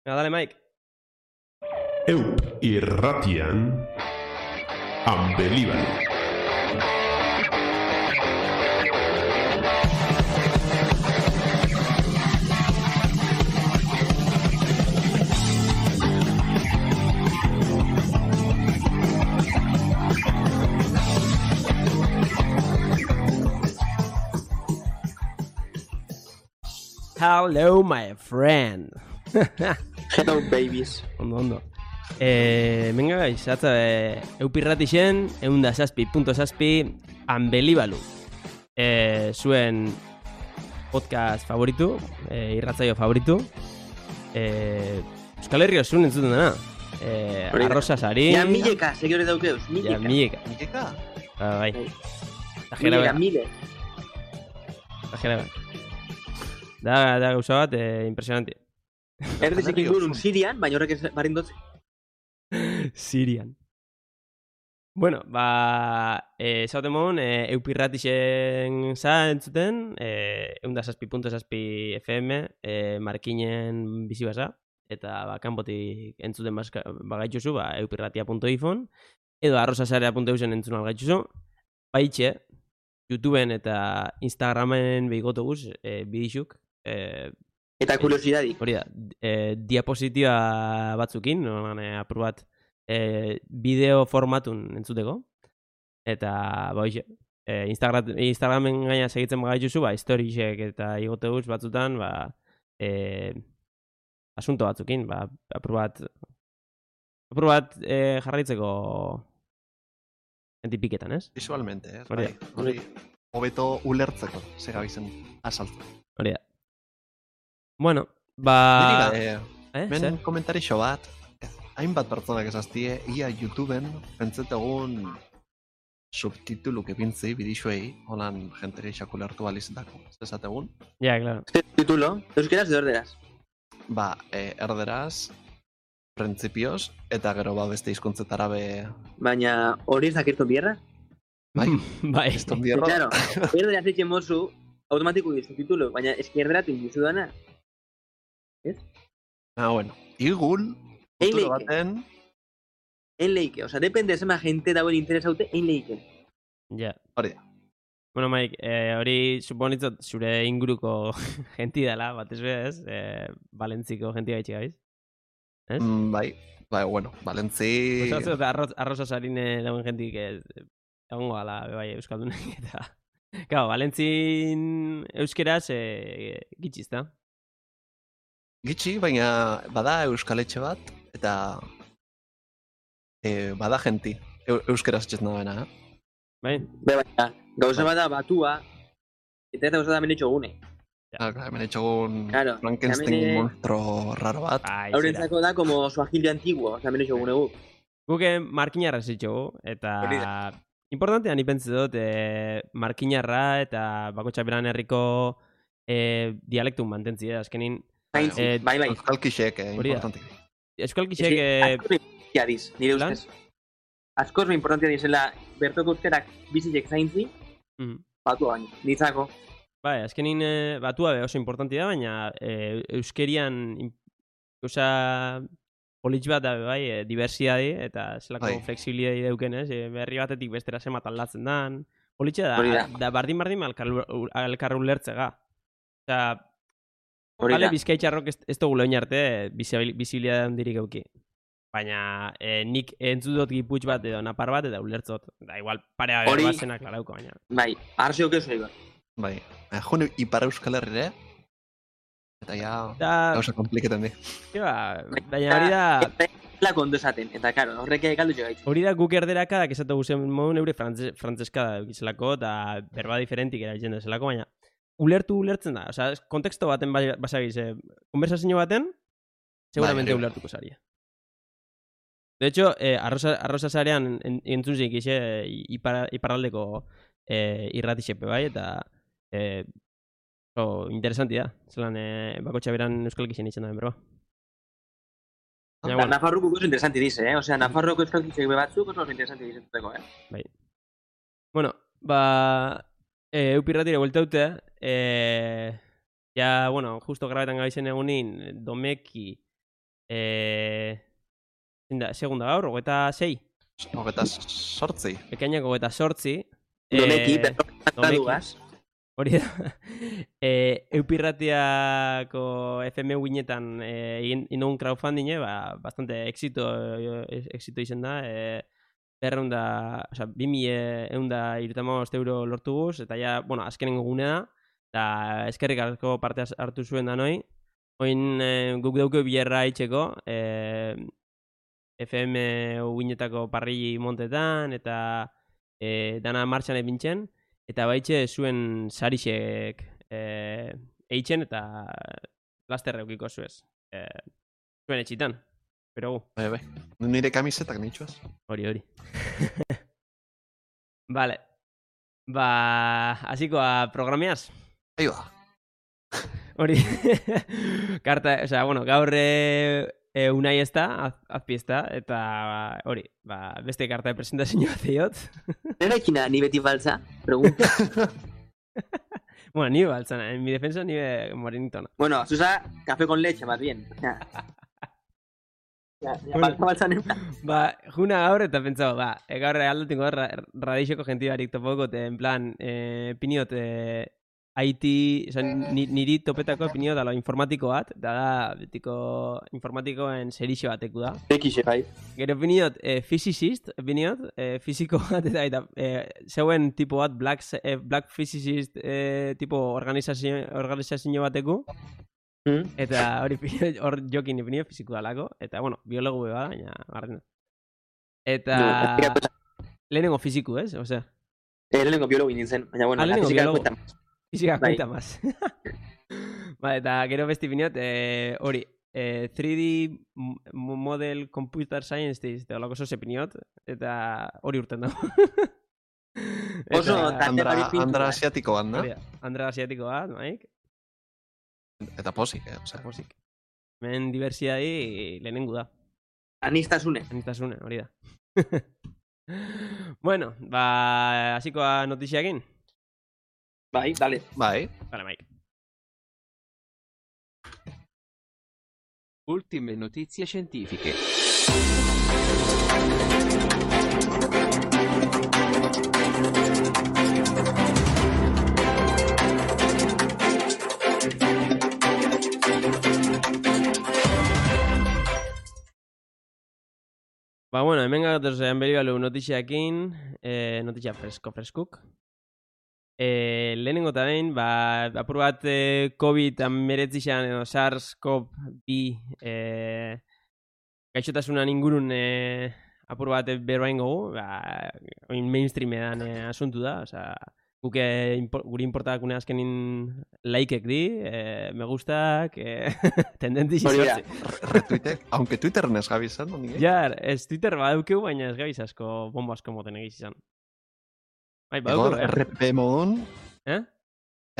Venga, dale, Mike. Eup irratian Unbelievable. Hello, my friend. Hello, babies. Ondo. Venga, guys, atza eupirratixen, 107.7 Unbelievable. Zuen podcast favoritu, irratzaio favoritu. Euskal Herri osun entzuten dena. Arrosa sari. Ja, mileka, segiore daukeuz, Ja, mileka. mileka. Bai. Mileka, mile. Tajera. Da gauza bat, impresionante. Erdizek ingurun Sirian, baina horrek ez barindotze. Sirian. Bueno, esaten mogun, eupirratixen za entzuten, 107.7 FM, markinen bizi basa, eta kanpotik entzuten bagaituzu, eupirratia.ifon, edo arrosasarea.eusen entzun algaituzu, baitxe, YouTubeen eta Instagramen behigotoguz, bidixuk, Eta kuriosidadik. hori da, diapositiba batzukin, apur bat, bideo formatun entzuteko, eta, hoxe, Instagramen gaina segitzen bagaituzu, historisek eta igoteguz batzutan, asunto batzukin, apur bat jarraitzeko entipiketan, ez? Visualmente, ez? Hori Bai, hori hobeto ulertzeko, segabizen azaltzen. Hori da. Bueno, Men zer? komentarixo bat, hainbat pertsonak esaztie, ia YouTubeen pentsetegun subtituluk epintzi bidixuei, holan jenteri xakulertu alizetako, ez dezategun. Ja, claro. Titulo, euskeraz de orderaz. Erderaz, printzipioz, eta gero beste hizkuntzetara be... Baina hori ez dakirton bierra? Bai, Bai. ez tonbierro. Claro, erderaz eitzen mozu, automatiko dizu titulo, baina eskerderatu indizu dana. Bueno, igul, futuro leike. baten, En leike, oza, depende zema gente dauen interesaute, en leike. Ja. hori da. Bueno, Mike, hori suponitzot zure inguruko genti dela, batez be, ez? Valentziko genti gaitxe gaiz. Ez? Bai, bueno, Valentzi... Osatzu eta arroza sarine dauen gentik egongo gala, bai, euskaldunek eta... Claro, Valentzin euskeraz gitxiz, da? Gitxi, baina bada euskaletxe bat, eta bada genti, euskeraz etxez nabena, Bai? Baina, gauza bada batua, eta gauza da menetxo gune. Hemen etxogun Claro, Frankenstein hemen, monstro raro bat. Haurentzako da, como suagilio antiguo, oza, menetxo gune gu. Guke markinarra zitxogu, eta... Hori Importantea ni pentsi dut, markinarra eta bakotxa beran herriko dialektun mantentzi, azkenin... Bai. Euskalkixek, hori da. importantik. Euskalkixek... Askoz importantia diz, nire Lan? ustez. Askoz importantia dizela, bertoko euskerak bizitzek zaintzi, batua baino, nitzako. Bai, azkenin batua oso importanti da, baina euskerian gauza politx bat da, bai, diversiadi eta zelako Bai. flexibilidadi deuken, ez? Berri batetik bestera zemat aldatzen dan. Politxe Hori da, da. da bardin alkar ulertzega. Osa, Hori bale, da. bizkaitxarrok ez dugu lehen arte bizibilidade handirik euki. Baina nik entzut dut giputx bat edo napar bat eta ulertzot. Da, igual parea Hori- berbazena klarauko, baina. Bai, arzeok ez egin. Bai, jone Ipar Euskal Herrire, eta ja, Da, gauza kompliketan di. baina hori da... La kondo esaten, eta karo, horrek galdu jo gaitzu. Hori da guk erderaka, da esatu guzen modun eure frantzeska da eukizelako, eta berba diferentik erabiltzen dezelako, baina ulertzen da. Osa, konteksto baten basagiz, konversazio baten, seguramente Bai, ulertuko zaria. De hecho, arroza zarean entzun zik iparraldeko irratixepe bai, eta interesanti da. Zelan, bakotxa beran euskal gixen itzen da, berba. Baina, bueno, Nafarroko oso interesanti dize, Osea, Nafarroko euskalkitzek batzuk oso interesanti dizentuteko, bai. Bueno, eupirratire bueltaute, ja, bueno, justo grabetan gabizen egunin, domeki segunda gaur, 26. 28. Ekainak 28. Domeki, berrogeita Hori da. Eupirratiako FM guinetan inogun crowdfunding, bastante exito izen da. 2.135 euro lortu guz, eta ja, bueno, azkenengo gune da, eta eskerrik asko parte hartu zuen da noi. Oin guk dauke bilerra itxeko, FM guinetako parri montetan, eta dana martxan epintzen, eta baitxe zuen sarixek eitzen, eta laster eukiko zuez. Zuen etxitan, pero gu. Bai. Nire kamisetak nitxuaz. Hori. Vale. Hasiko a programeaz. Ahí va. Hori. Karta, o sea, bueno, gaur unai ez da, azpi ez da, eta hori, beste karta de presentazio bat eiot. Nera ikina, ni beti baltza, pregunta. Bueno, ni baltza, en mi defensa ni morenitona. Bueno, Susa, café con leche, más bien. Baltza neuna. Juna gaur eta pentsau, gaur aldatingo radixoko jentibarik topoko, en plan, piniot, IT, niri topetako opinio da lo informatiko bat, da betiko informatikoen serixo bateku da. Ekixe, bai. Gero opiniot, physicist, opiniot, fiziko bat, eta zeuen tipo bat, black physicist tipo organizazio bateku. Eta hor jokin opinio fiziko dalako, eta bueno, biologu beba, baina garrena. Eta lehenengo fiziku, ez? Osea. Lehenengo biologu nintzen, baina bueno, la física cuenta más. Física cuenta más. Vale, eta gero besti biniot, hori, 3D Model Computer Science, eta olako oso sepiniot, eta hori urten dago. Oso, Andra asiatiko bat, no? Andra asiatiko bat, Mike. Eta posik, posik. Men diversiadi lehenengu da. Anistasune, hori da. Bueno, hasiko a notiziakin. Bai, dale. Bai. Dale, Mike. Ultime notizie scientifiche. Bueno, hemen gatoz beri balu notiziakin, notizia freskuk. Lehenengo eta behin, apur bat COVID-19 edo SARS-CoV-2 gaixotasunan ingurun apur bat berbain gogu, oin mainstream edan asuntu da, guke guri importakune azkenin laikek di, me gustak, tendentzi sortzi. Retweetek, aunque Twitter nes gabizan, no nire? Ja, ez Twitter badaukeu, baina ez gabiz asko, bombo asko moten egizizan. Egor, RPP modun.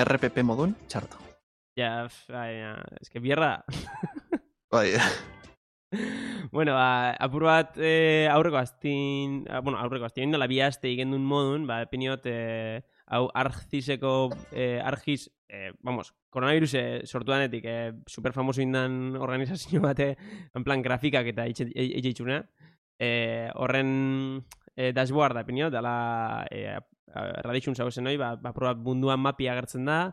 RPP modun, txarto. Ja, ez que bierra. Bai. Bueno, apur bat aurreko aztin, nola bi aste igendun modun, piniot, hau argizeko, koronavirus sortuanetik, super famoso indan organizazio bate, en plan grafikak eta eitxuna. Horren dashboard da, pinio, dala radixun zauzen hoi, probat munduan mapi agertzen da,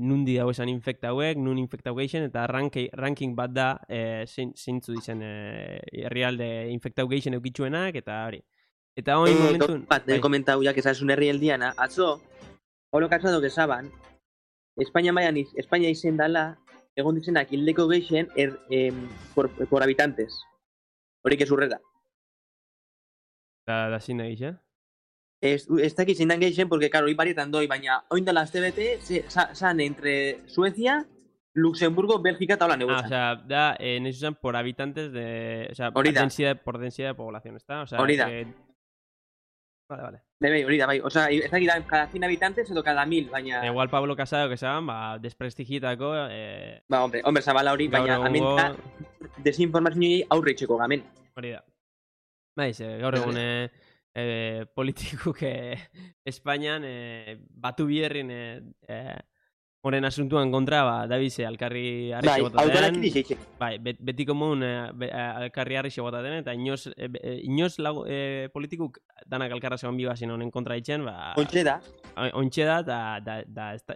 nundi dago esan infekta hauek, nun infekta haueixen, eta ranking bat da zeintzu dizen herrialde infekta haueixen eukitzuenak, eta hori. Eta hori momentun... Bat, komentau ya que esan herrialdiana, atzo, holo katzatu que saban, Espainia izen dala, egon dizenak hildeko geixen por habitantes. Horik ez urrera. Da zin egin, Ez dakit zein dan geixen, porque, claro, hori barietan doi, baina oindala azte bete, san entre Suecia, Luxemburgo, Bélgica eta hola negozan. O sea, da, nesu zen por habitantes de... O sea, por densidad de población, ¿está? O sea, hori da. Vale. Hori da, bai. O sea, ez dakit da, cada 100 habitantes edo cada 1000, baina... Igual Pablo Casado, que saben, desprestigietako... Hombre, zabala hori, baina amenta desinformazioa aurre itxeko gamen. Hori da. Baiz, gaur egun politikuk Espainian batu bierrin Horren asuntuan kontra, dabize, alkarri harri Bai, xebotaten. autorekin izeitzen. Bai, beti komun alkarri harri xebotaten, eta inoz politikuk danak alkarra segon bibazin honen kontra ditzen, Ontxe da. ontxe da,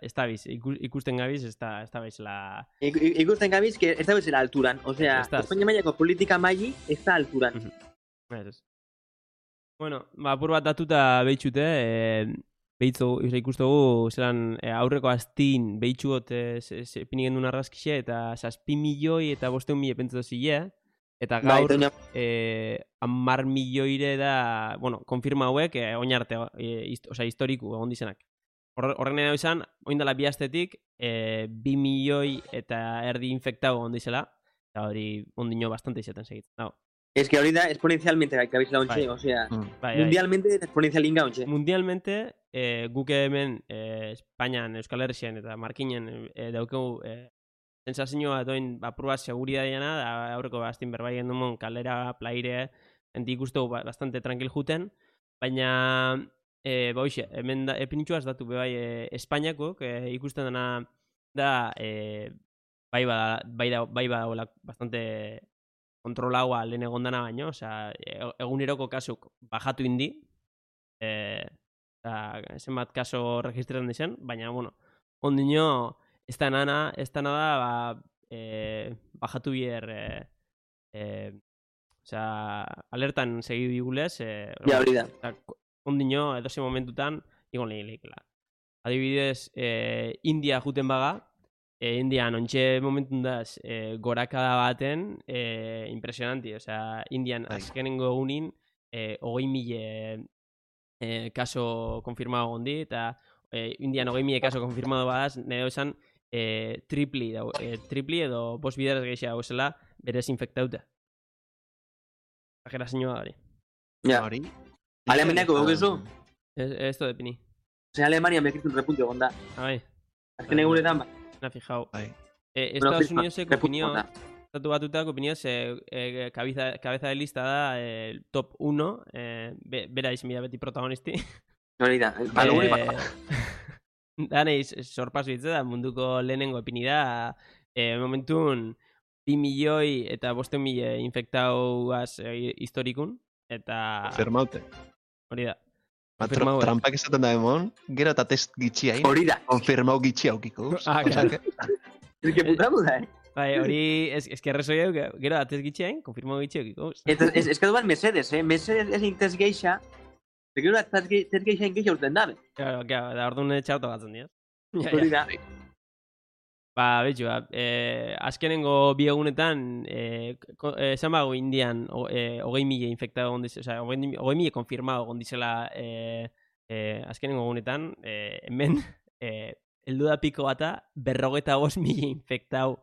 ez da biz, ikusten gabiz, ez da bizela... Ikusten gabiz, que ez da bezala alturan. Osea, Espainia mailako politika maili ez da alturan. Ez. Bueno, apur bat datuta behitxute, ikustugu, zelan aurreko astin behitxugot pini gendun argazkixe, eta 7 milioi eta 500.000 pentsatu zile, eta gaur 10 milioire da, bueno, konfirma hauek, oinarte, historiku egon dizenak. Horren edo izan, oindala bi astetik, 2 milioi eta erdi infektau egon dizela, eta hori ondino bastante izaten segitzen. Es que hori da exponencialmente gabiz la ontxe, osea, mundialmente exponencialin ontxe. Mundialmente, guk hemen Espainian, Euskal Herrixen eta Markinen daukegu sensazioa doin apurua seguridadena, da aurreko bastin berbai gendumon kalera, plaire, enti ikustegu bastante tranquil juten, baina hoxe, hemen epinitxuaz datu bebai Espainiako, ikusten dena da bai badagoela bastante kontrolaua lehen egondana baino, osea, eguneroko kasuk bajatu indi, zenbat kaso registretan dizen, baina, bueno, ondino, ez da nada, bajatu bier, osea, alertan segidu digulez, ja, hori da. Ondino, edoze momentutan, igon lehileikela. Adibidez, India juten baga, Indian ontxe momentun daz gorakada baten impresionanti, osea, Indian azkenengo egunin 20.000 kaso konfirmado gondi, eta Indian 20.000 kaso konfirmado badaz, nire esan tripli edo bost bideraz gehiago esela berez infektauta. Ajera zinua hori. Ja. Alemaniako dukezu? Ez to depini. Osea, Alemania mekritu un repuntio gonda. Bai. Azken egunetan, bai. Na fijau. Estados Unidoseko opinio, estatu batutako opinioz, cabeza de lista da top 1, bera izan beti protagonisti. Hori da, aluguri bat. Daneiz, sorpasu hitz da, munduko lehenengo epini da, momentun 2 milioi eta 500.000 infektauaz historikun, eta... Konfirmaute. Hori da. Trampak esaten da emon, gero eta test gitxia hain. Hori da. Konfirmau gitxia haukiko. Claro. Ez que putatu da, Bai, hori, ez que arrezo gero da test gitxia hain, konfirmau gitxia haukiko. Ez que duan Mercedes, Mercedes ezin test geixa, gero da test geixa ingeixa urten dabe. Claro, da orduan txarto gatzen dira. Hori da. Betxu, azkenengo bi egunetan, esan bago Indian 20.000 infektado gondizela, osea, 20.000 konfirmado gondizela azkenengo egunetan, hemen, heldu da piko bata, 45.000 infektau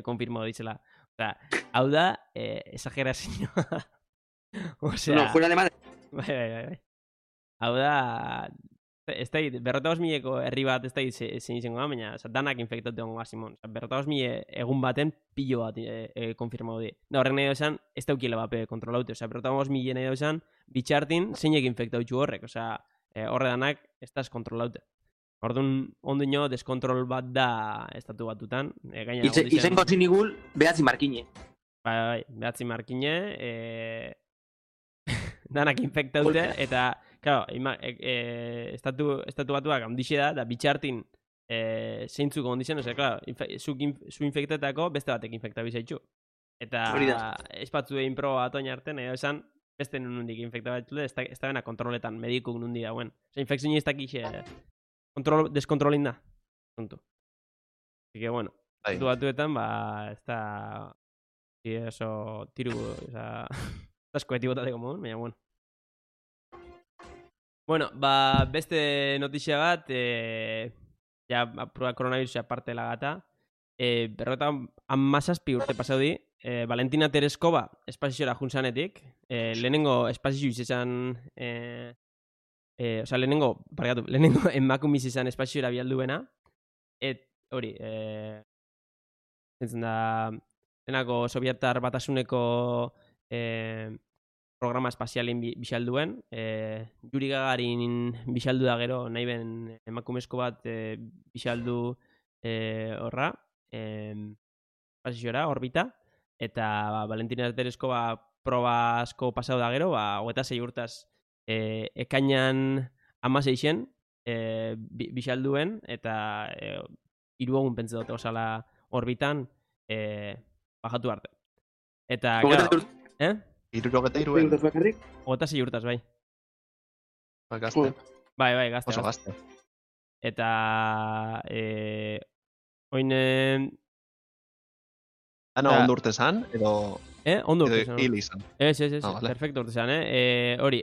konfirmado dizela. Osea, hau da, exagerazioa. Osea... No, fuera de madre. Bai. Hau da... Ez da, 45.000eko herri bat ez da zein izango da, baina danak infektatu egon Simon. 45.000 egun baten pilo bat konfirmau di. Horren nahi esan, ez daukile bape kontrolaute. 45.000 nahi esan, bitxartin zeinek infektatu horrek. Horre danak ez da kontrolaute. Orduan, ondino, deskontrol bat da estatu batutan. Izenko zinigul, behatzi markine. Bai, behatzi markine. Danak infektaute, eta... Claro, estatu batuak handixe da bitxartin zeintzuk ondizen, osea, claro, zu infektatako beste batek infektabizaitxu. Eta espatzu egin proba bat oin arte, nahi esan, beste nundik infektabizaitxu, ez da bena kontroletan, medikuk nundi dauen. Osea, infekzioa ez dakixe, deskontrolin da. Así que, bueno, estatu batuetan, ez da... Eso, tiru, oza... Asko etibotateko modun, baina, bueno. Bueno, beste notizia bat, ja, prueba coronavirusa parte lagata, berrota amazazpi urte pasau di, Valentina Tereskova espaziora juntzanetik, lehenengo espazio izan, lehenengo emakumiz izan espaziora bialduena, hori, zentzen da, lehenako Sovietar Batasuneko programa espazialin bixalduen, Yuri Gagarin bixaldu da gero, nahi ben emakumezko bat bixaldu horra, pasiora, orbita, eta Valentina Terezko proba asko pasau da gero, 26 urtaz ekainan 16 bisalduen, eta 3 egun pentsa dute osala orbitan bajatu arte. Eta, claro, 63 26 urtaz, bai. Gazte. Bai, gazte. Oso gazte. Eta, oin... Ana ondo urte zan, edo... Ondo urte zan. Hil izan. Ez, vale. perfecto urte zan, hori,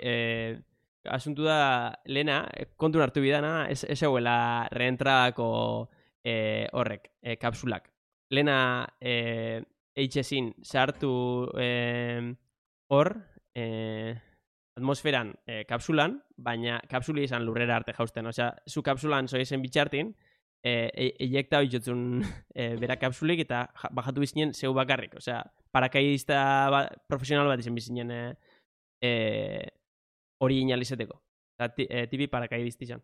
asuntu da, lehena, kontun hartu bidana, ez eguela reentradako horrek, kapsulak. Lehena, eitxezin, sartu hor, atmosferan kapsulan, baina kapsuli izan lurrera arte jausten. Osea, zu kapsulan zoizen bitxartin, eiekta hoitzotzun bera kapsulik eta bajatu bizinen zeu bakarrik. Osea, parakaidista profesional bat izan bizinen hori inalizeteko. Tipi parakaidista izan.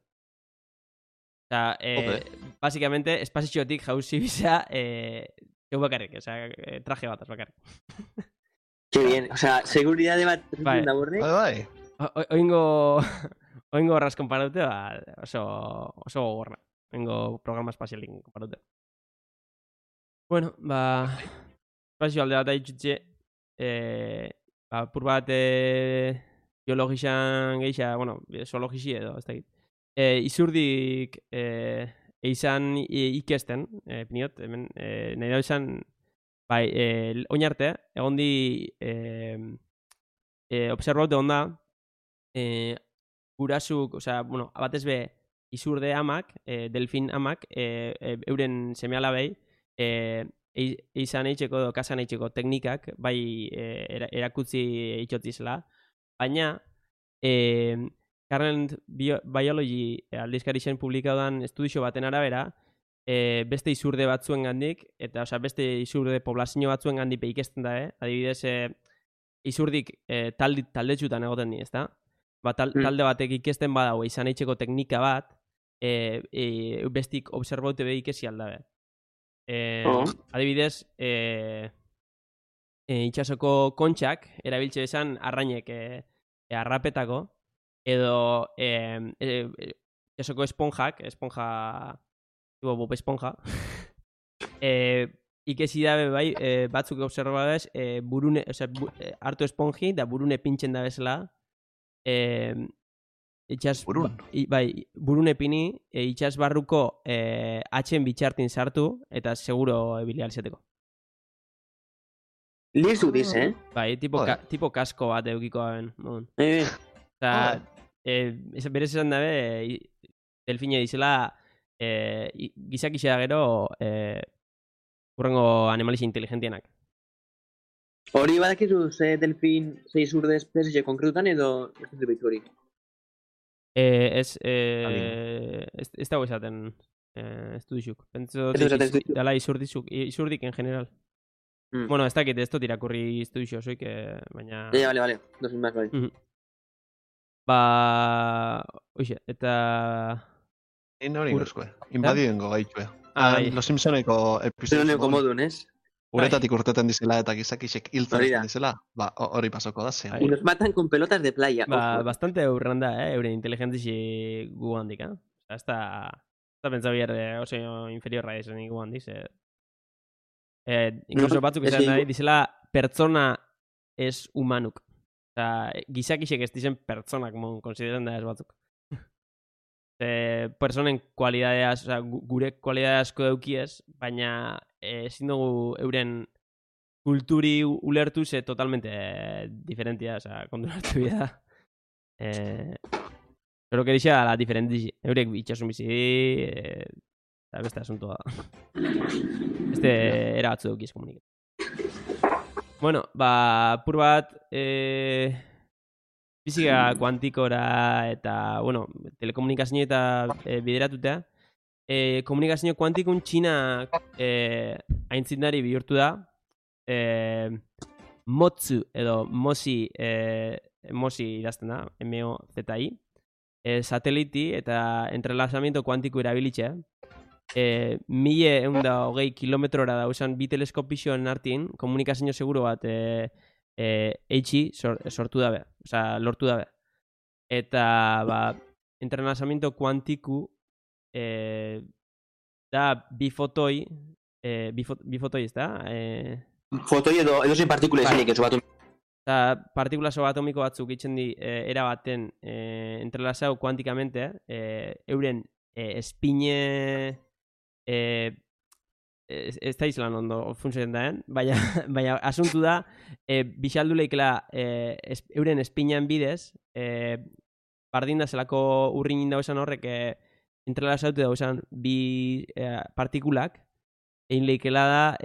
Osea, básicamente, espazitxotik jauzi biza zeu bakarrik. Osea, traje bat bakarrik. Qué bien, o sea, seguridade bat da borre. Bai. Oingo horraz konparaute, oso gogorra. Oingo programa espazialik konparaute. Bueno, espazio alde bat haitxutxe, pur bat biologizan geisha, bueno, zoologisi edo, ez da git. Izurdik izan ikesten, piniot, hemen, nahi da izan, bai, oin arte, egon di observaute onda gurasuk, osea, bueno, batez be izurde amak, delfin amak, euren semealabei izan eitzeko edo kasan eitzeko teknikak, bai erakutzi itxotzizela, baina Current Biology aldizkari zen publikaudan estudizio baten arabera, beste izurde batzuen gandik, eta beste izurde poblazio batzuen gandik ikesten da, adibidez, izurdik taldetxutan egoten di, ezta? Talde batek ikesten badago izan eitzeko teknika bat, bestik observaute behi ikesi aldabe. Adibidez, itxasoko kontxak, erabiltze esan arrainek arrapetako, edo itxasoko esponja, Bob Esponja, ikesi dabe bai, batzuk observadez, hartu esponji, da burune pintxen da bezala, Burun? Bai, burune pini, itxas barruko atxen bitxartin sartu, eta seguro bilializeteko. Lizu diz, Bai, tipo kasko bat eukiko gaben. Eta, berez esan dabe, delfine dizela, gizak isea gero urrengo animalizia inteligentienak. Hori badakizu ze delfin, ze izurde espezie konkretutan edo ez dut hori? Ez dago esaten estudizuk. Pentso dela izurdik en general. Bueno, ez dakit ez dut irakurri estudizio osoik, baina... Vale, dozin más, bai. Oixe, eta... Hori nozkoe, invadidengo gaitue. Los Simpsoneko episodio. Pero modun, ez? Uretatik urteten dizela eta gizakisek hiltzen dizela, hori pasoko da ze. Y nos matan con pelotas de playa. Bastante urranda, euren inteligentzi gu handik, ez da pentsa bier oso inferiorra izan gu handik, incluso batzuk izan nahi, dizela pertsona ez humanuk. Gizakisek ez dizen pertsonak mon konsideran da ez batzuk. Personen kualidadea, gure kualidadea asko eukiez, baina ezin dugu euren kulturi ulertu ze totalmente diferentia, konturatu bida. Pero que dixa la diferentizi. Eurek bitxasun bizi, eta beste asuntoa. Beste era batzu dukiz komuniket. Bueno, pur bat... Fizika kuantikora eta, bueno, telekomunikazio eta bideratutea. Komunikazio kuantikun Txina aintzindari bihurtu da. Motsu edo Mosi idazten da, M-O-Z-I. Sateliti eta entrelazamiento kuantiko erabilitzea. ...1120 kilometrora dauzan bi teleskopizioen artin, komunikazio seguro bat eitxi sortu dabe, osea, lortu dabe. Eta, entrenazamiento kuantiku da bi fotoi, ez da? Fotoi edo zein partikula ezinik, ez bat. Eta partikula subatomiko batzuk itzen di erabaten entrelazau kuantikamente, euren espine ez da izlan ondo funtzioen daen, baina asuntu da, bixaldu lehikela euren espinean bidez, bardin da zelako urrin dauzen horrek entrelazautu dauzen bi partikulak, egin lehikela da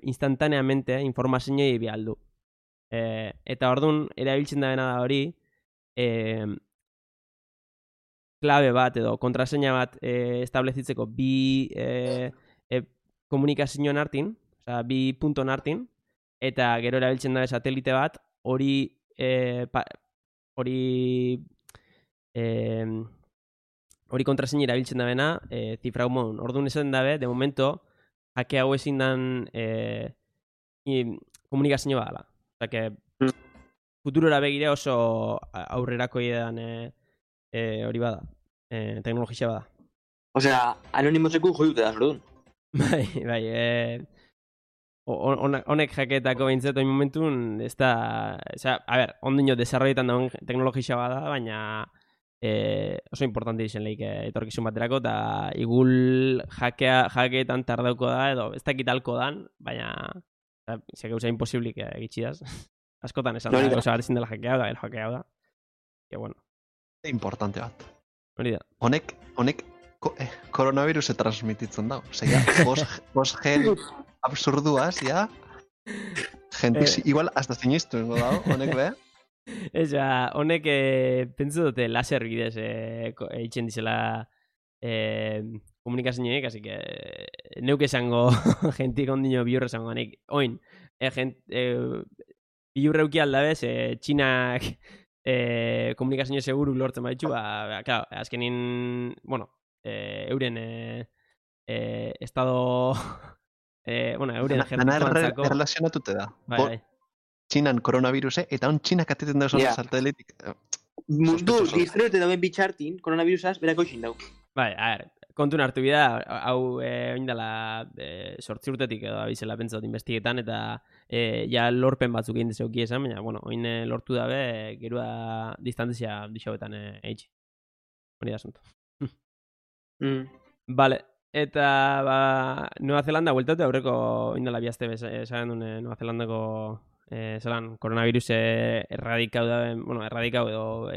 instantaneamente informazioa bialdu. Eta orduan, erabiltzen da bena da hori, klabe bat edo kontraseina bat establezitzeko bi komunikazioen artin, osea, bi punton artin, eta gero erabiltzen da satelite bat, hori kontraseina erabiltzen da bena, zifrau modun. Orduan esan dabe, de momento, hake hau ezin dan komunikazio bat dela. Osea, que futurora begire oso aurrerako idean hori bada, teknologia bada. Osea, anonimoseku joiute da, zordun. Bai, honek jaketako behintzat oin momentun, ez da, a ber, ondino desarroietan daun teknologia bada, baina oso importante izen lehik etorkizun baterako, eta igul jakeetan tardauko da, edo ez dakitalko dan, baina ze gauza imposiblik egitxidaz. Askotan esan da, gauza bat ezin dela jakea da, jakea da. Que bueno. Importante bat. Hori da. Honek koronavirus transmititzen da. Osea, post-gen absurduaz, ja. Gentiz, igual, hasta sinistu da, honek be. Eza, honek pentsu dute laser bidez eitzen dizela komunikazioek, así que neuk esango gentik ondino biurre esango nik. Oin, biurre uki aldabez, Txinak komunikazio seguru lortzen baditu, claro, azkenin, bueno, euren estado, euren ejército relazionatute da. Bai. Txinan koronaviruse, eta on Txinak ateten dauz satelitik. Mundu, distrete dauen bitxartin, koronavirusaz, berako izin dau. Bai, a ver, kontun hartu bida, hau oindala sortzi urtetik edo abizela pentsat investigetan, eta ja lorpen batzuk egin dezeuki esan, baina, bueno, oin lortu dabe, gerua distantzia dixauetan eitzi. Hori da asunto. Vale, eta Nueva Zelanda bueltatu aurreko oindala bihazte esan duen Nueva Zelandako zelan, koronavirus erradikau da, bueno, erradikau edo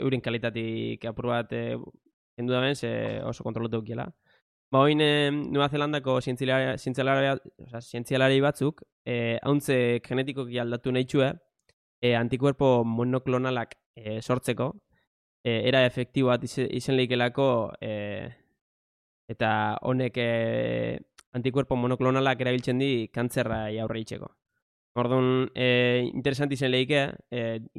euren kalitatik apur bat kendu da ben, oso kontrolatu dukiela. Oin Nueva Zelandako zientzialari batzuk, hauntze genetikoki aldatu nahi txue, antikuerpo monoklonalak sortzeko, era efektibo bat izen lehikelako, eta honek antikuerpo monoklonalak erabiltzen di kantzerra aurre itxeko. Orduan, interesanti zen lehike,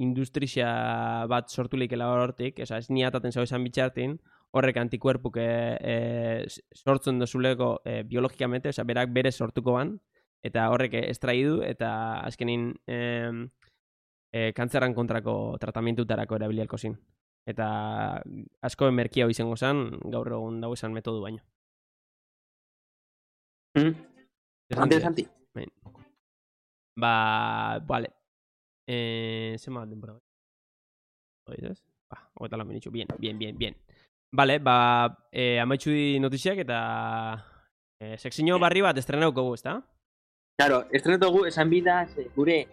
industria bat sortu lehikela hortik, ez niataten zau esan bitxartin, horrek antikuerpuk sortzen dozuleko biologikamente, berak bere sortuko ban, eta horrek estraidu, eta azkenin kantzerran kontrako tratamientutarako erabilialko zin. Eta asko merkia hau izango zen, gaur egun dago esan metodu baino. Interesanti. Vale. Zema bat denbora. Oizaz? Oeta lan benitxu. Bien. Vale, amaitxu di notiziak eta sekzio barri bat estrenauko gu, ezta? Claro, estrenauko esan bida, gure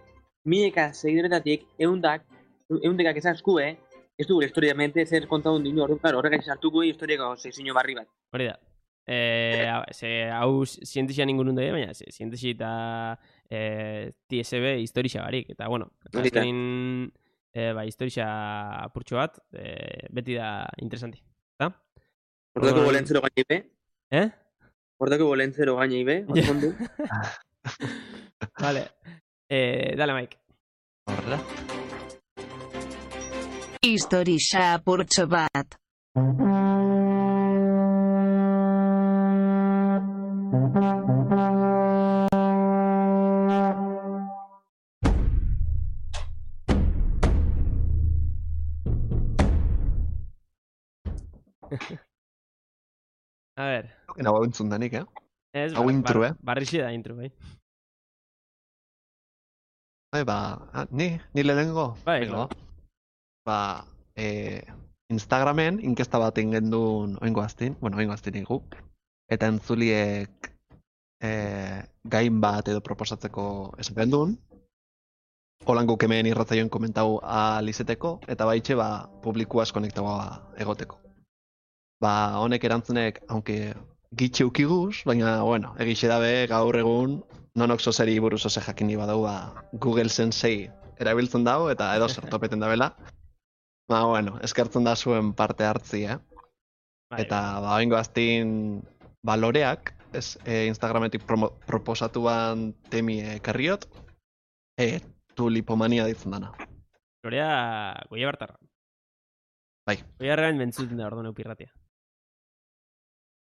mileka segidoretatik eundekak ezaskue, ez du gure historiamente zer kontaun dinu, horrek sartuko historiako sekzio barri bat. Hori da. Hau zientizia ningun dut, baina zientizia eta TSB historia barik, eta bueno, azkenin historia apurtxo bat, beti da interesanti, eta? Hortako bolentzero gaine ibe? Hortako bolentzero gaine ibe? Vale, dale, Mike. Horrela. Historia apurtxo bat. A ver. Hau entzun danik, Ez, Hau intro, barrixe da intro, bai. Ni lehenengo. Bai, Venga, claro. Ba, Instagramen inkesta bat egin duen oingo aztin igu, eta entzuliek gain bat edo proposatzeko esan gendun, holan guk hemen irratzaioen komentau alizeteko, eta baitxe publikuaz konektagoa egoteko. Honek erantzunek, aunque gitxe ukiguz, baina, bueno, egixe dabe gaur egun, nonok zozeri buruz oze jakini badau, Google Sensei erabiltzen dago, eta edo zertopeten dabela. Bueno, eskertzen da zuen parte hartzi, Bai, Eta, oingo aztin baloreak, Instagrametik proposatuan temi ekarriot, tulipomania ditzen dana. Lorea goia bartarra. Bai. Goia bartarra mentzuten da orduan eupirratia.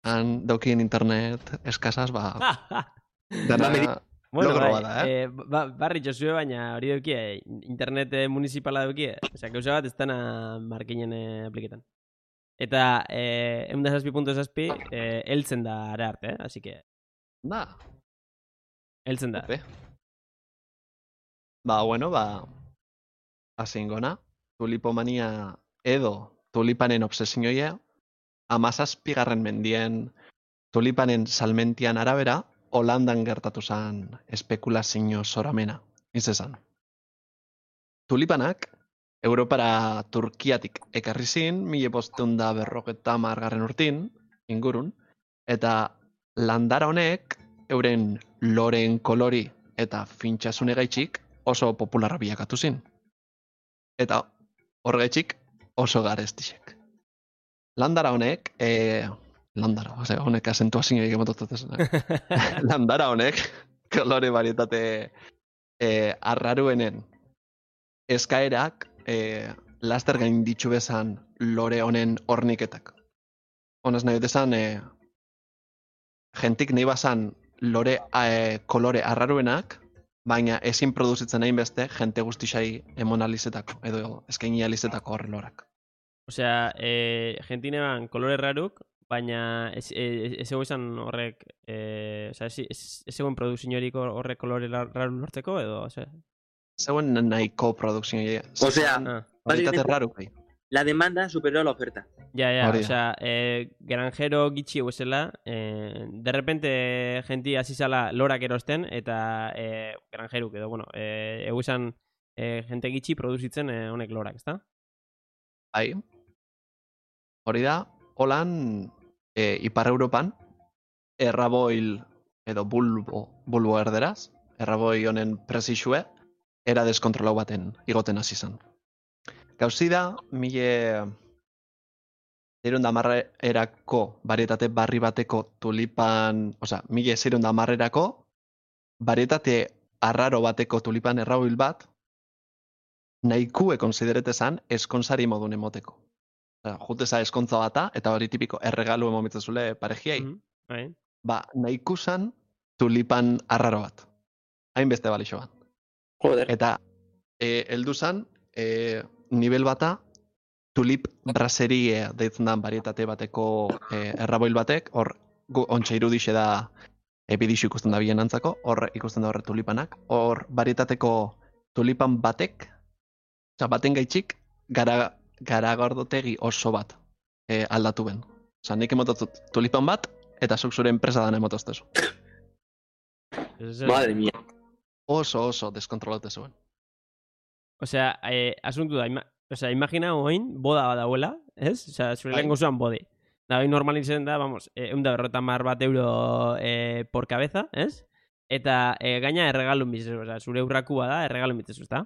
Han daukien internet eskasaz, dana Bueno, logro bai, bada, barri txosue, baina hori dukie, internet municipala dukie. Osea, gauza bat ez dana markinen apliketan. Eta, 1.6.6, heltzen da ara arte, así que... Heltzen da. Ope. Hasi ingona, tulipomania edo tulipanen obsesioia, 17. mendien tulipanen salmentian arabera, Holandan gertatu zen espekulazio zoramena, izan. Tulipanak, Europara Turkiatik ekarri zin, 1550 urtin, ingurun, eta landara honek, euren loreen kolori eta fintxasune gaitxik oso popularra bilakatu zin. Eta horregaitxik oso garestixek. Landara honek, honek asentuazio egin mototatzen. Landara honek, kolore varietate arraruenen eskaerak laster gain ditxu bezan lore honen horniketak. Honez nahi desan, jentik nahi bazan lore kolore arraruenak, baina ezin produzitzen nahi beste jente guztisai emonalizetako, edo eskaini alizetako horre lorak. Osea, jentine ban kolore raruk, baina ez ego izan horrek, ez egoen produkziorik horrek kolore raru lortzeko, edo, osea? Zegoen nahiko produkzioa. Osea, Baritate raruk, bai. La demanda superó a la oferta. Ja, osea, granjero gitxi eguzela, de repente jenti azizala lorak erosten, eta granjeruk edo, bueno, eguzan jente gitxi produzitzen honek lorak, ezta? Bai. Hori da, holan, Ipar Europan, erraboil edo bulbo erderaz, erraboi honen presixue, era deskontrolau baten igoten hasi zen. Gauzi da, 1600 barietate barri bateko tulipan, osea, 1600 barietate arraro bateko tulipan erraboil bat, nahikue konsideretezan eskontzari modun emoteko. Juteza eskontza bata, eta hori tipiko erregalu emomitzezule parejiai. Nahikusan tulipan arraro bat. Hainbeste balixo bat. Joder. Eta heldu zan, nivel bata, tulip braserie deitzen da barietate bateko erraboil batek, hor ontsa irudixe da bidixu ikusten da bien antzako, hor ikusten da horre tulipanak, hor barietateko tulipan batek, baten gaitxik, garagordotegi oso bat aldatu ben. Osa, nik emototzut tulipan bat, eta zuk zure enpresa dana emotoztezu. Madre mía. Oso deskontrolate zuen. Osea, asuntu da, imagina oin, boda badagoela, ez? Osea, zure lehen gozuan bode. Da, oin normalizen da, vamos, 150 bat euro por cabeza, ez? Eta gaina erregalun bizezu, osea, zure urrakua da, erregalun bizezu, ezta?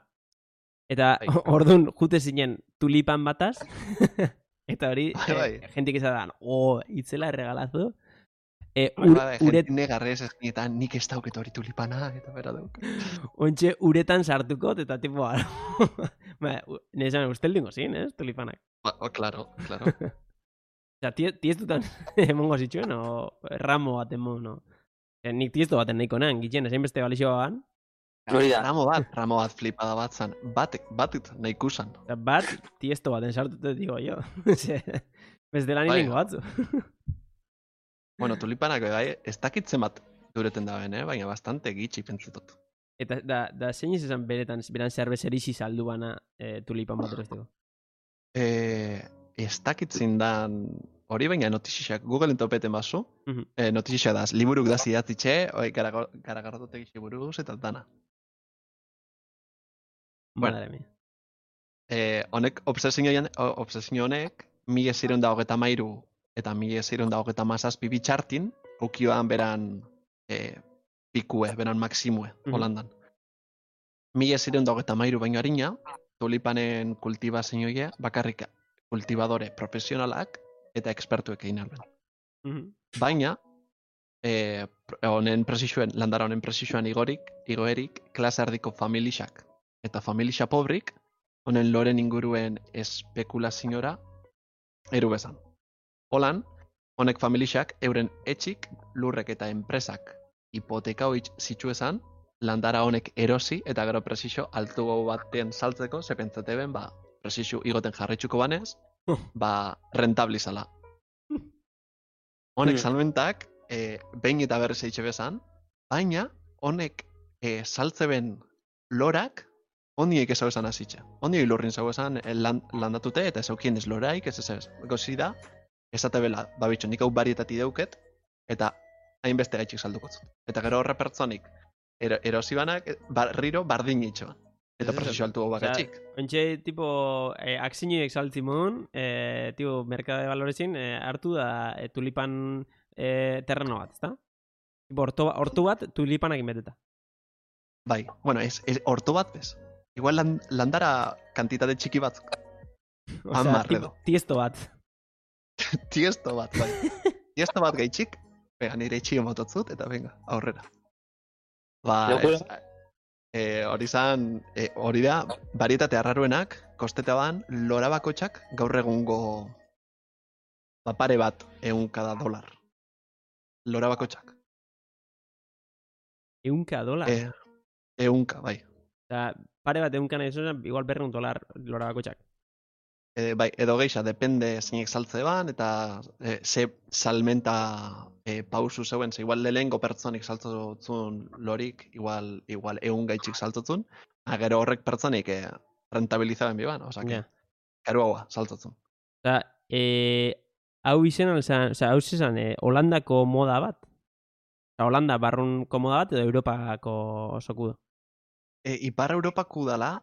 Eta orduan jute zinen tulipan bataz, eta hori, jentik izan da, itzela erregalazo. Jentine garrez eta nik ez dauket hori tulipana, eta bera dauk. Ontxe uretan sartukot, eta tipo, nezan ustel dingo zin, ez, tulipanak. Claro. Osea, tiestutan emongo zituen, o ramo bat emon, no? Nik tiesto baten nahiko nean, gitzen, ezein beste balixoa ban. Ramo bat flipada bat zan, bat nahiko zan. Bat tiesto baten sartute, digo, jo. Ez dela Bai. nirengo batzu. Bueno, tulipanak bai, ez dakitzen bat dureten da ben, baina bastante gitxi pentsatut. Eta da zein izan beran zerbez erisi saldu bana tulipan bat erosteko. Ez dakitzen dan hori, baina notizixak Googleen topeten bazu, Mhm. notizixak daz, liburuk daz idatzitxe, garagardotek buruz eta dana. Bueno. Madre mia. Honek, obsesio honek, 1623 eta 1627 bitxartin, ukioan beran pikue, beran maksimue, Mhm. Holandan. 1623 baino harina, tulipanen kultibazioia bakarrik kultibadore profesionalak eta ekspertuek egin alben. Mhm. Baina, landara honen presixuan igoerik, klase erdiko familixak eta familixa pobrik, honen loren inguruen espekulaziora eru bezan. Holan, honek familixak euren etxik, lurrek eta enpresak hipoteka hoitz zitsuezan, landara honek erosi eta gero presixo altu baten saltzeko, zepentzate ben, presixo igoten jarraitzuko banez, rentablizala. Honek salmentak, behin eta berriz eitxe bezan, baina honek saltze ben lorak, ondiek ez hau esan azitxe. Ondiek lurrin zau esan landatute eta ez aukien ez loraik, ez gozi da, esate bela, babitxo, nik hau barietati deuket, eta hainbeste gaitxik saldukotzut. Eta gero horre pertsonik, erosi banak, barriro bardin itxoan. Eta presizio altu hau bakatxik. Ontxe, tipo, aksinioek saltzi modun, tipo, merkade de valorezin, hartu da tulipan terreno bat, ezta? Tipo, hortu bat tulipanak inbeteta. Bai, bueno, horto bat bez. Igual landara kantitate txiki batzuk. Osea, tipo, tiesto bat. Tiesto bat, bai. Tiesto bat gaitxik, venga, nire itxi emototzut, eta venga, aurrera. Hori da, barietate arraruenak, kosteta ban, lora bakotxak gaur egungo pare bat $100. Lora bakotxak. $100? 100, bai. Eta pare bat $100 nahi zuen, igual $100 lora bakotxak. Bai, edo geixa, depende zeinek saltze ban, eta ze salmenta pausu zeuen, ze igual lehengo pertsonik saltzotzun lorik, igual 100 gaitxik saltzotzun, gero horrek pertsonik rentabilizaben biban, oza, karo haua saltzotzun. Eta, hau izan, hau izan, Holandako moda bat? Holanda barrunko moda bat, edo Europako sokudo? Ipar Europaku dala,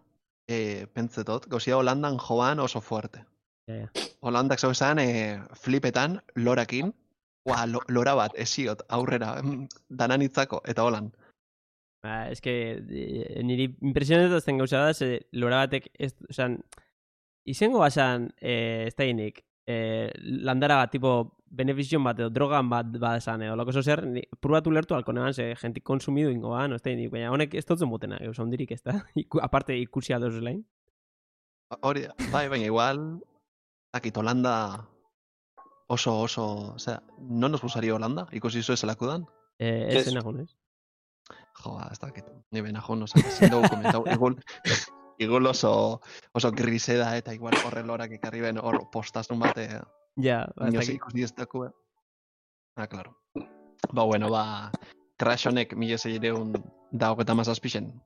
pentsetot, gozia Holandan joan oso fuerte. Holandak zau esan, flipetan, lorakin, lora bat, esiot, aurrera, dananitzako, eta holan. Ez que, niri impresionetazten gauza da, ze lora batek, izango basan, ez da inik, landara bat, tipo, benefizion bat, edo drogan bat esan, edo loko zer, probatu lertu alko neban, ze jentik konsumidu ingo ba, no ez da inik, baina honek ez dutzen botena, eus ondirik ez da, aparte ikusi aldoz lain. Hori da, bai, baina igual, dakit, Holanda oso, osea, no nos gustaría Holanda, ikusi zu ezelako dan? Ez enajun, ez? Ez dakit, ni benajun, oza, ezin dugu komentau, igual oso griseda eta igual horre lorak ekarri ben hor postazun bate, inozik ikusi ez daku, claro. Bueno, crash honek 1627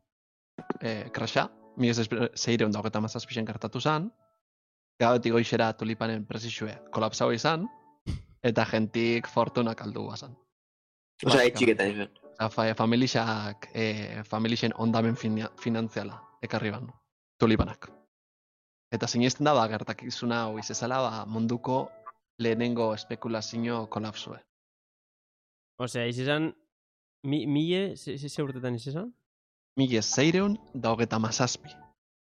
crasha, 1627 gertatu zan, gabetik goixera tulipanen presizue kolapsau izan, eta jentik fortunak aldu bazan. Osa, etxiketan izan. Familixen ondamen finantziala ekarri ban, tulipanak. Eta zinezten da, gertakizuna hau izezala, munduko lehenengo espekulazio kolapsue. Osea, izizan, ze urtetan izizan? 1627.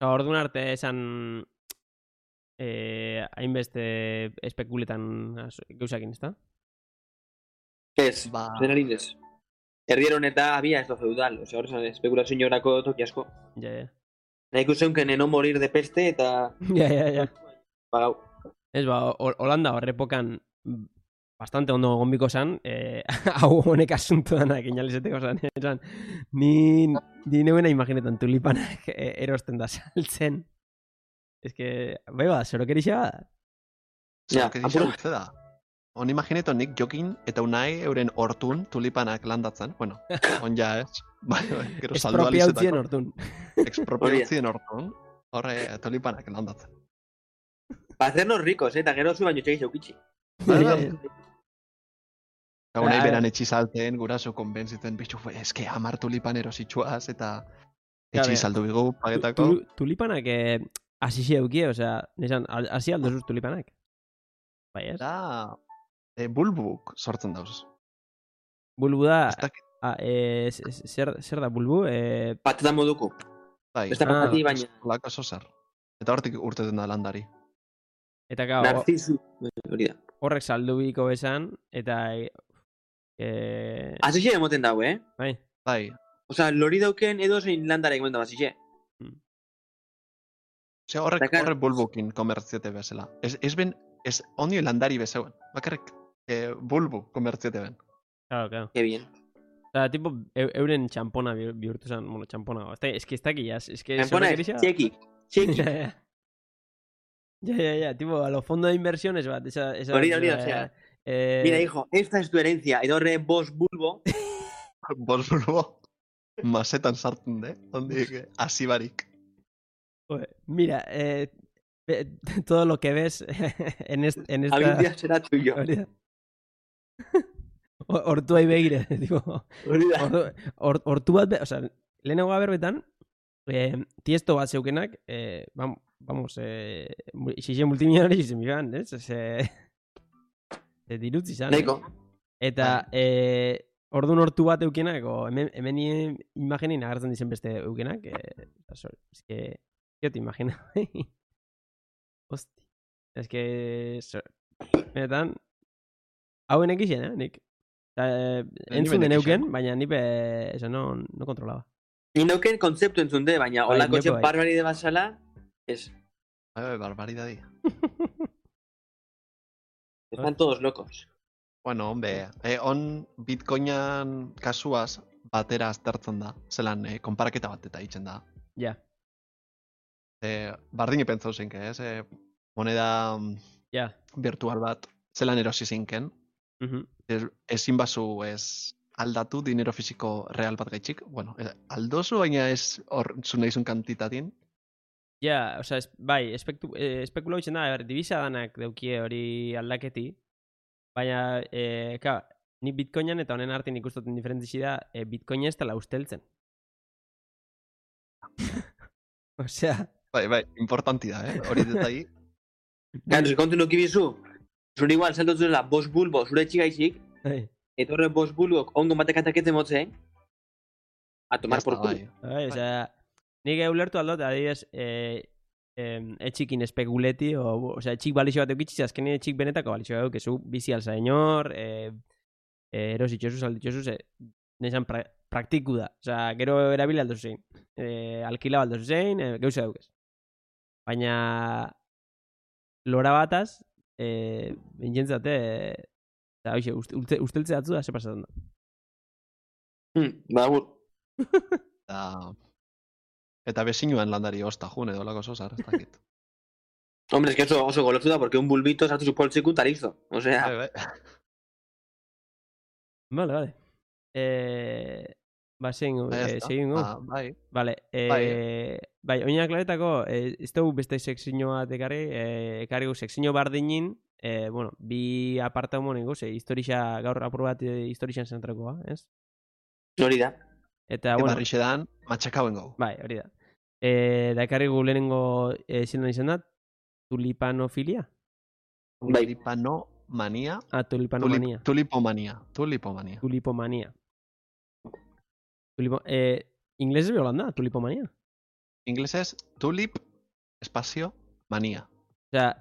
Orduan arte esan hainbeste espekuletan gauzakin, ez da? Ez, zenarin ez. Herrieron eta había esto feudal, osea, horrezan espekulazio horako toki asko. Ja. Nahi zeunken no morir de peste eta... Ja. Pagau. Ez, Holanda horrepokan bastante ondo gombiko zan, hau honek asunto danak inalizeteko zan, ni neuena imaginetan tulipanak erosten da saltzen. Ez que, bai zorokerixea bada. Ja, Zer, que utze da. On imagineto nik jokin eta unai euren hortun tulipanak landatzen. Bueno, on ja ez. Bai, gero saldu Espropiautzien alizetako. hortun. Expropiautzien hortun. Horre tulipanak landatzen. Para hacernos ricos, eta gero zu baino txegiz eukitzi. Eta unai beran etxizalten, guraso konbentzitzen, bitxu, eske 10 tulipan erositxuaz, eta etxiz saldu bigu, pagetako. Tulipanak asisi eukie, osea, nesan, hasi aldozuz tulipanak. Bai, ez? Da, bulbuk sortzen dauz. Bulbu da, Ez dakit, zer da bulbu? Patata moduko. bai, Ez da patati baina. lako oso zer. Eta hortik urteten da landari. Eta gau, Narcisu. Hori da. horrek saldu biko esan, eta... Asixe emoten dago, Bai, Bai, Osa, lori dauken edo zein landarek emoten dago, asixe. Ose, horrek Dakar- horrek bulbukin komertziete bezala. Ez ben, ez ondio landari bezeuen. Bakarrik bulbu komertziete ben. claro. Que bien. Eta, tipo, euren txampona bihurtu zen, bueno, txampona. Ez que ez daki, ez que... Tempona ez, txeki. Txeki. Ya, tipo, a lo fondo de inversiones bat. Hori da, osea. Mira, hijo, esta es tu herencia. Edo horre bos bulbo. Bos bulbo masetan sartzen de. Ondik, hasi barik. Mira, todo lo que ves en esta... Algún día será tuyo. Hori da. Hortuai begire, tipo... Hori da. Hortu bat, o sea, lehenago berbetan, tiesto bat zeukenak, vamos, xixe multimillonario izen bigan, ez? Dirutzi zan. Neiko. Eta, ordun hortu bat eukenak, hemen imagenin agertzen dizen beste eukenak, es que, yo te imagino. Hosti. Es que, benetan, hauen ekixen, nik. Entzun den euken, baina nipe, eso no kontrolaba. Inoken kontzeptu entzunde, baina Bai, olako nepo, txen bai. barbaride basala, ez. Barbaridadi. Están todos locos. Bueno, hombre, on bitcoinan kasuaz batera aztertzen da. Zelan, konparaketa bat eta itzen da. Ja, Bardine pentsau zinke, ez? Moneda ja. virtual bat, zelan erosi zinken. Ezin bazu ez aldatu dinero fisiko real bat gaitxik. Bueno, aldozu, baina ez hor zu nahizun kantitatin. Ja, osea, bai, espekulau itzen da, divisa danak daukie hori aldaketi, baina, ni bitcoinan eta honen artean ikustoten diferentzi da, bitcoina ez dela usteltzen. Osea, Bai, importanti da, hori detai. Gano, kontu nuki bizu, zure igual saltotu zela bos bulbo zure txigaizik, etorre bos bulbok ongo batek atakete motze, a tomar por culo. bai, osea, nik ulertu aldot, adibidez, etxikin espekuleti, osea, etxik balixo bat eukitziz, azkenean etxik benetako balixo bat eukezu, bizi alza inor, erositxosuz, alditxosuz, nesan praktiku da. Osea, gero erabili aldozu zein. Alkila aldozu zein, geuza daukez. Baina, lora bataz, bintzentzate, eta hoxe, usteltze datzu da, ze pasatzen da. Bagur. Eta bezinuan landari osta jun edo lako sosar, ez dakit. Hombre, es que oso golotu da, porque un bulbito sartu su poltseku eta listo. O sea, Bai. Vale. Segin gu. Bai. Vale, bai, oina klaretako, ez dugu beste sekzio bat ekarri gu sekzio bardinin, bueno, bi aparta homo nengo, historia, gaur apur bat historian zentrakoa, ez? hori da. Eta, bueno, Barrixe dan, matxakauen gau. bai, hori da. Da ekarri gu lehenengo zindan izan da, tulipanofilia? Bai. Tulipanomania. Tulipanomania. Tulipomania. Tulipomania. Inglesez be holanda, tulipomania. Inglesez, tulip, espazio, mania. Osea,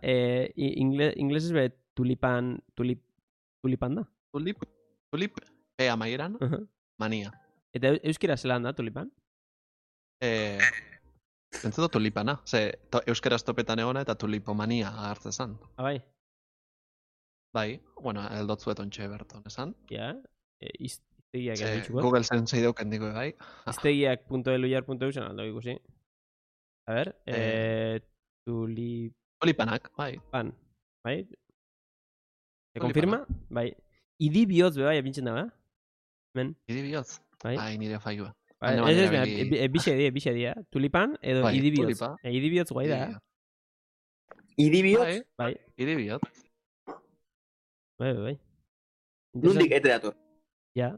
inglesez be tulipan da. Tulip, P amaieran, mania. Eta euskera zelan da, tulipan? Pentseto tulipana. Euskaraz topetan egona eta tulipomania agertzen zan. Bai. Bai, bueno, eldotzuet ontxe berton, esan. Ja, iztegiak egitxuko. Google Sensei dauken digo, bai. Iztegiak.elujar.eu zen aldo ikusi. A ver, Tulipanak, bai. bai? Se confirma? Bai. Idi bihotz bai, epintzen da, Men. Idi bihotz? Bai. Ai, nire failua. Bixe dia. Tulipan edo Bai, idi bihotz. tulipa. Idi bihotz guai da, Idibioz, Bai. Idi bihotz. Bai. nundik ete dator. Ja.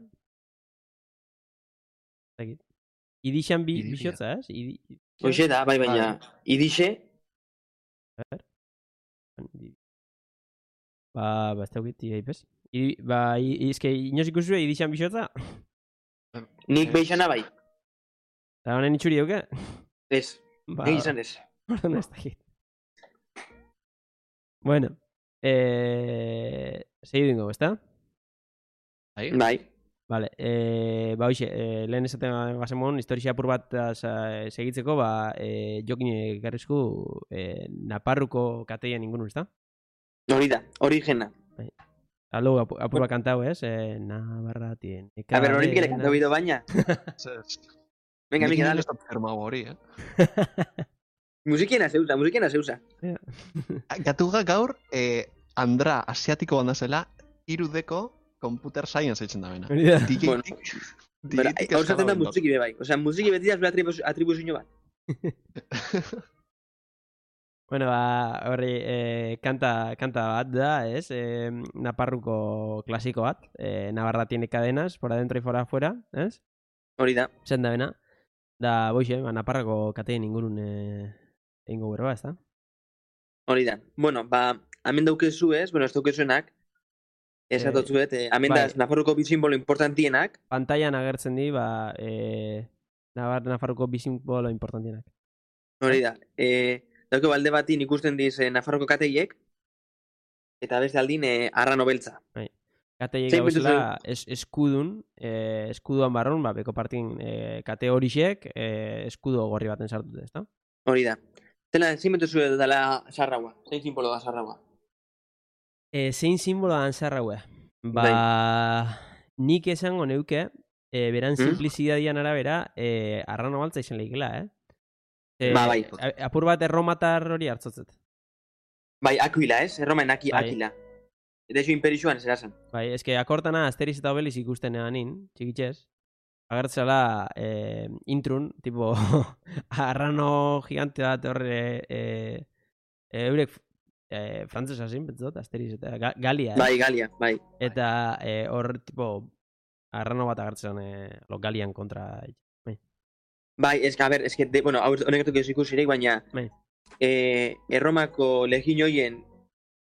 Zagit. Idixan Idi bixotza, ez? Hoxe da, bai, baina, idixe, Ba, ez daukit, pez. Izke, inoz ikusue idixan bixotza? nik beixana bai. Eta honen itxuri duke? Ez, Ba, egin izan ez. orduan ez dakit. Bueno, segi dingo, ezta? Bai. Bai. Vale, ba hoxe, lehen esaten gazemon, historia apur bat segitzeko, ba, jokin ekarrizku Naparruko kateien ingunun, ezta? Hori da, origena. Aldo apur bat kantau, ez? Navarra tiene A ber, hori kere cadena. kantau bido baina. Venga, Miki, dale. Firmau hori, Musikiena zeusa. Gatuga gaur, Andra asiatiko banda zela, irudeko computer science eitzen da bena. Hori da. Bueno, Bera, hor zaten da musiki be bai. Osea, musiki beti da zure atribuzio bat. Bueno, ba, horri, kanta bat da, ez? Naparruko klasiko bat. Navarra tiene cadenas, por adentro y por afuera, ez? Hori da. Zen da bena. Da, boixe, ba, Naparrako katein ingurun egingo berba, ez da? Hori da. Bueno, ba, hemen daukezu ez, bueno, ez daukezuenak, esatotzuet, hemen da bai. Nafarroko bi simbolo importantienak, Pantailan agertzen di, ba, Nafarroko bi simbolo importantienak. hori da. Dauke balde batin ikusten diz Nafarroko kateiek, eta beste aldin arrano beltza. Kateiek Zein gauzela eskudun, eskuduan barrun, ba, beko partin kate horixek eskudo gorri baten sartute, ezta? Hori da. Zela, zein betuzu dela sarraua? Zein simbolo da sarraua? Zein simbolo dan zarraue? Ba, nik esango neuke, beran simplizidadian arabera, arrano baltza izan lehikela, Ba, bai. Apur bat erromatar hori hartzotzet. Bai, Aquila, ez? Erromaen Bai. Aquila. Eta iso imperixuan zerazan. Bai, eske akortana Asteriz eta Obeliz ikusten eganin, txikitxez. Agertzela intrun, tipo, arrano gigante bat horre, eurek frantzesa zin, betzot, Asteriz eta Galia, Bai, Galia, bai. Eta hor, tipo, arrano bat agertzen Galian kontra. Bai, eske, a ber, eske, bueno, honek etuko ikusirek, baina Bai. Erromako legioien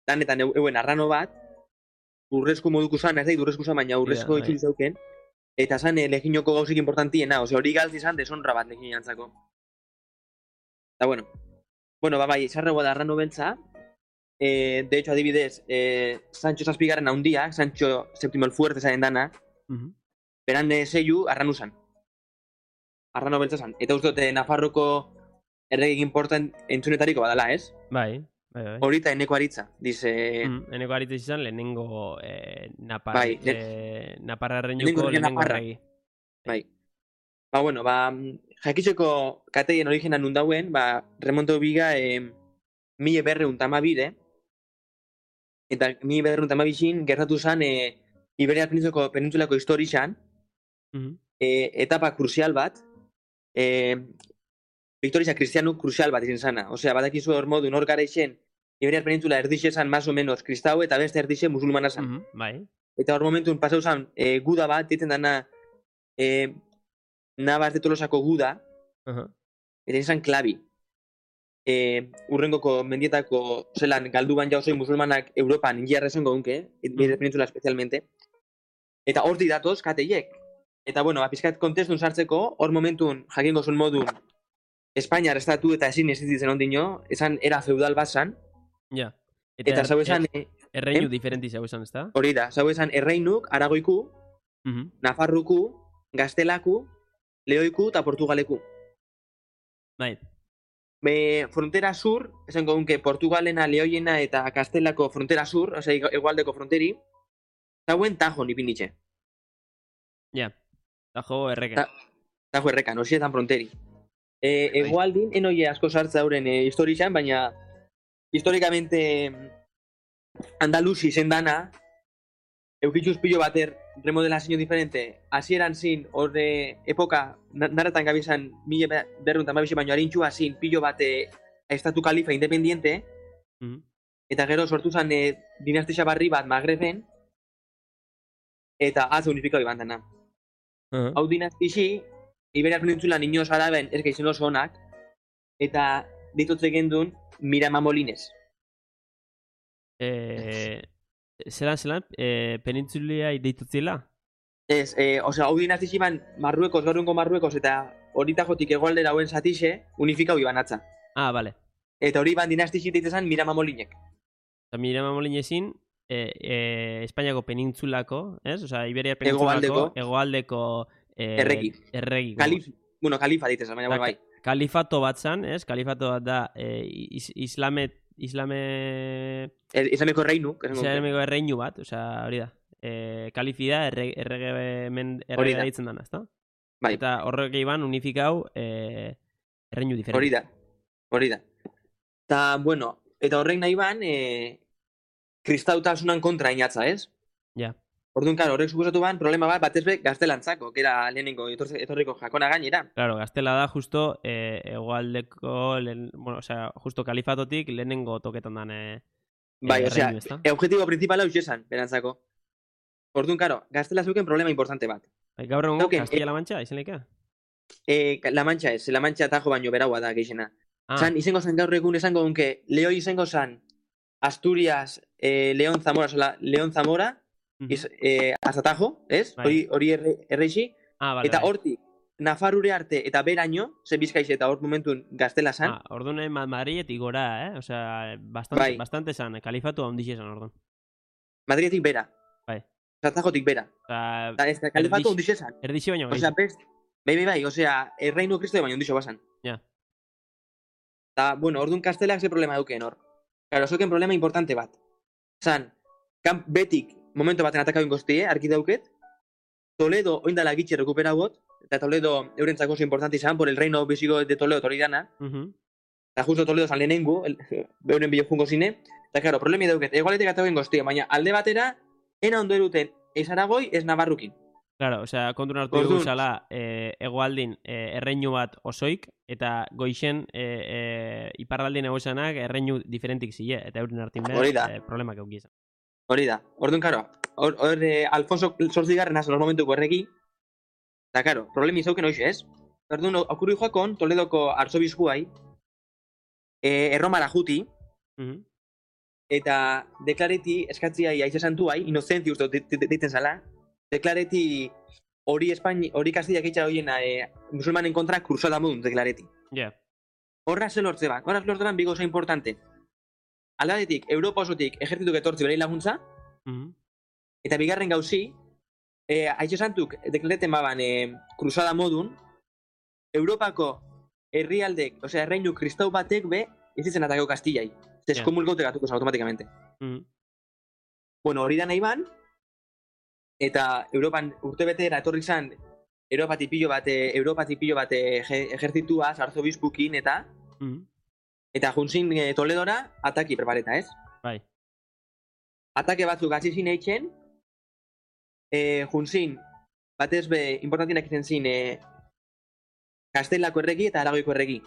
danetan euen arrano bat, urrezko moduko zan, ez da, urrezko zan, baina urrezko Bai. itxul zeuken, eta zan leginoko gauzik importantiena, ose hori galtzi zan deshonra bat legin jantzako. Eta bueno, ba bai, sarragoa da arrano beltza, de hecho, adibidez, Sancho Zazpigarren haundiak, Sancho Séptimo el Fuerte zaren dana, beran zeiu arranu zan. Arrano beltza zan. Eta uste dute Nafarroko erregik important entzunetariko badala, ez? Bai. Horita eneko aritza, dice... Eneko aritza izan lehenengo Bai, Naparraren lehenengo juko lehenengo Naparra. erregi. Bai. Ba, bueno, ba, jakitzeko kateien origena nundauen, ba, remonto biga 1212, eta 1212 gertatu zan Iberiar penintsulako historian, etapa kruzial bat, Victoria kristianu kruzial bat izin zana. Osea, badakizu hor modu nor gareixen Iberiar penintzula erdixe zan más o menos kristau eta beste erdixe musulmana zan. Bai. Eta hor momentun pasau zan guda bat, ditzen dana Navas de Tolosako guda, eta izan klabi. Urrengoko mendietako zelan galdu ban jauzoi musulmanak Europan ingiarra esango dunke, Iberiar penintzula especialmente. Eta hor didatoz kateiek. Eta bueno, pizkat kontestun sartzeko, hor momentun jakingo zuen modun Espainiar estatu eta ezin existitzen ondino, esan era feudal bat zan. Ja. Eta zau esan... Erreinu diferenti zau esan, ezta? Hori da, zau esan Erreinuk, Aragoiku, Nafarruku, Gaztelaku, Leoiku eta Portugaleku. Bai. Frontera sur, esango dunke Portugalena, Leoiena eta Gaztelako frontera sur, osea, egualdeko fronteri, zauen Tajon ipinditxe. Ja. Tajo erreken. Tajo errekan, osietan fronteri. Egualdin, enoie asko sartza hauren historian, baina historikamente Andalusi zen dana, eukitxuz pilo bater remodelazio diferente, hasieran zin, horre epoka, narratan gabizan, 1912 baino harintxua zin, pilo bate estatu kalifa independiente, eta gero sortu zen dinastia barri bat Magreben, eta atze unifikau iban dana. Hau dinastixi, Iberia penintzulan inoz araben ez gaizen oso onak, eta ditutze gendun Mirama Molines. Zelan, penintzulia deitutzela? Ez, hau dinastixi ban Marruekos, gaurrengo Marruekos, eta horita jotik egoaldera hauen zatixe, unifikau iban atza. Ah, bale. Eta hori ban dinastixi deitezan Mirama Molinek. Eta Mirama Molinezin, Espainiako penintzulako, ez? Osa, Iberia penintzulako, egoaldeko erregi. Erregi. Kalifa ditezan, baina bai. Kalifato bat zan, ez? Kalifato bat da Islameko reinu. Islameko erreinu bat, osa, hori da. Kalifi da errege ditzen dana, ezta? Bai. Eta horrek iban unifikau erreinu diferente. Hori da. Eta, bueno, eta horrek nahi ban, kristautasunan kontra inatza, ez? Ja. Orduan, claro, horrek suposatu ban, problema bat, batezbe gaztelantzako, que era lehenengo etorriko jakona gainera. Claro, gaztela da justo egoaldeko, justo kalifatotik lehenengo toketan dan bai, osea, objetibo principal hau esan, berantzako. Orduan, claro, gaztela zeuken problema importante bat. Gaur egongo, Castilla-La Mancha, izen lehika? La Mancha ez, La Mancha tajo baino beraua da geixena. Zan, izango zan gaur egun esango dunke, Leoi izango zan Asturias, León Zamora, azatajo, ez? Hori erreixi. Eta hortik, Nafarure arte eta beraino, zen bizkaiz eta hor momentun gaztela zan. Orduan Madriletik gora, Osea, bastante zan, kalifatu handixe zan orduan. Madriletik bera. Bai. Azatajotik bera. Eta kalifatu handixe zan. Erdixe baino gaiz. Bai, osea, erreinu kristo baino handixo basan. Ja. Eta, bueno, orduan kastelak ze problema duken hor. Claro, zoken problema importante bat. Zan, betik momento baten atakau ingoztie, arki dauket, Toledo oindala gitxe rekupera got, eta Toledo eurentzako oso importante izan, por el reino visigo de Toledo toridana, eta justo Toledo zan lehenengu, euren bilo jungo zine, eta claro, problemi dauket, egualetik atakau ingoztie, baina alde batera, ena ondo eruten, ez Aragoi, ez Navarrukin. Claro, osea, kontun hartu dugu zala, egoaldin erreinu bat osoik, eta goixen iparraldin egoizanak erreinu diferentik zile, eta euren hartin behar problemak eukizan. Hori da. Orduan, karo, Alfonso Zortzigarren azan momentuko erregi, eta, karo, problemi izauken hoxe, ez? Orduan, okurri joakon, Toledoko arzobiskuai, erromara juti, eta deklareti eskatziai aize santuai, inocenti uste deiten zala, deklareti hori Kastillak eitxa horien musulmanen kontra kruzada modun deklareti. Horra ze lortze ban. Horra lortze ban bigoza importante. Aldadetik, Europa osotik ejertzituk etortzi berei laguntza, eta bigarren gauzi, aize santuk deklareten baban kruzada modun, Europako herrialdek, osea, erreinu kristau batek be, ez izen atakeu Kastillai. Eskomulgaute gatuko automatikamente. Bueno, hori da nahi ban, eta Europan urtebetera etorri zan Europatik pilo bat ejertzituaz, arzobispukin eta juntzin Toledora ataki prepareta, ez? Bai. Atake batzuk hasi eitzen, juntzin batez be importantinak izen zin Kastelako erregi eta Aragoiko erregi.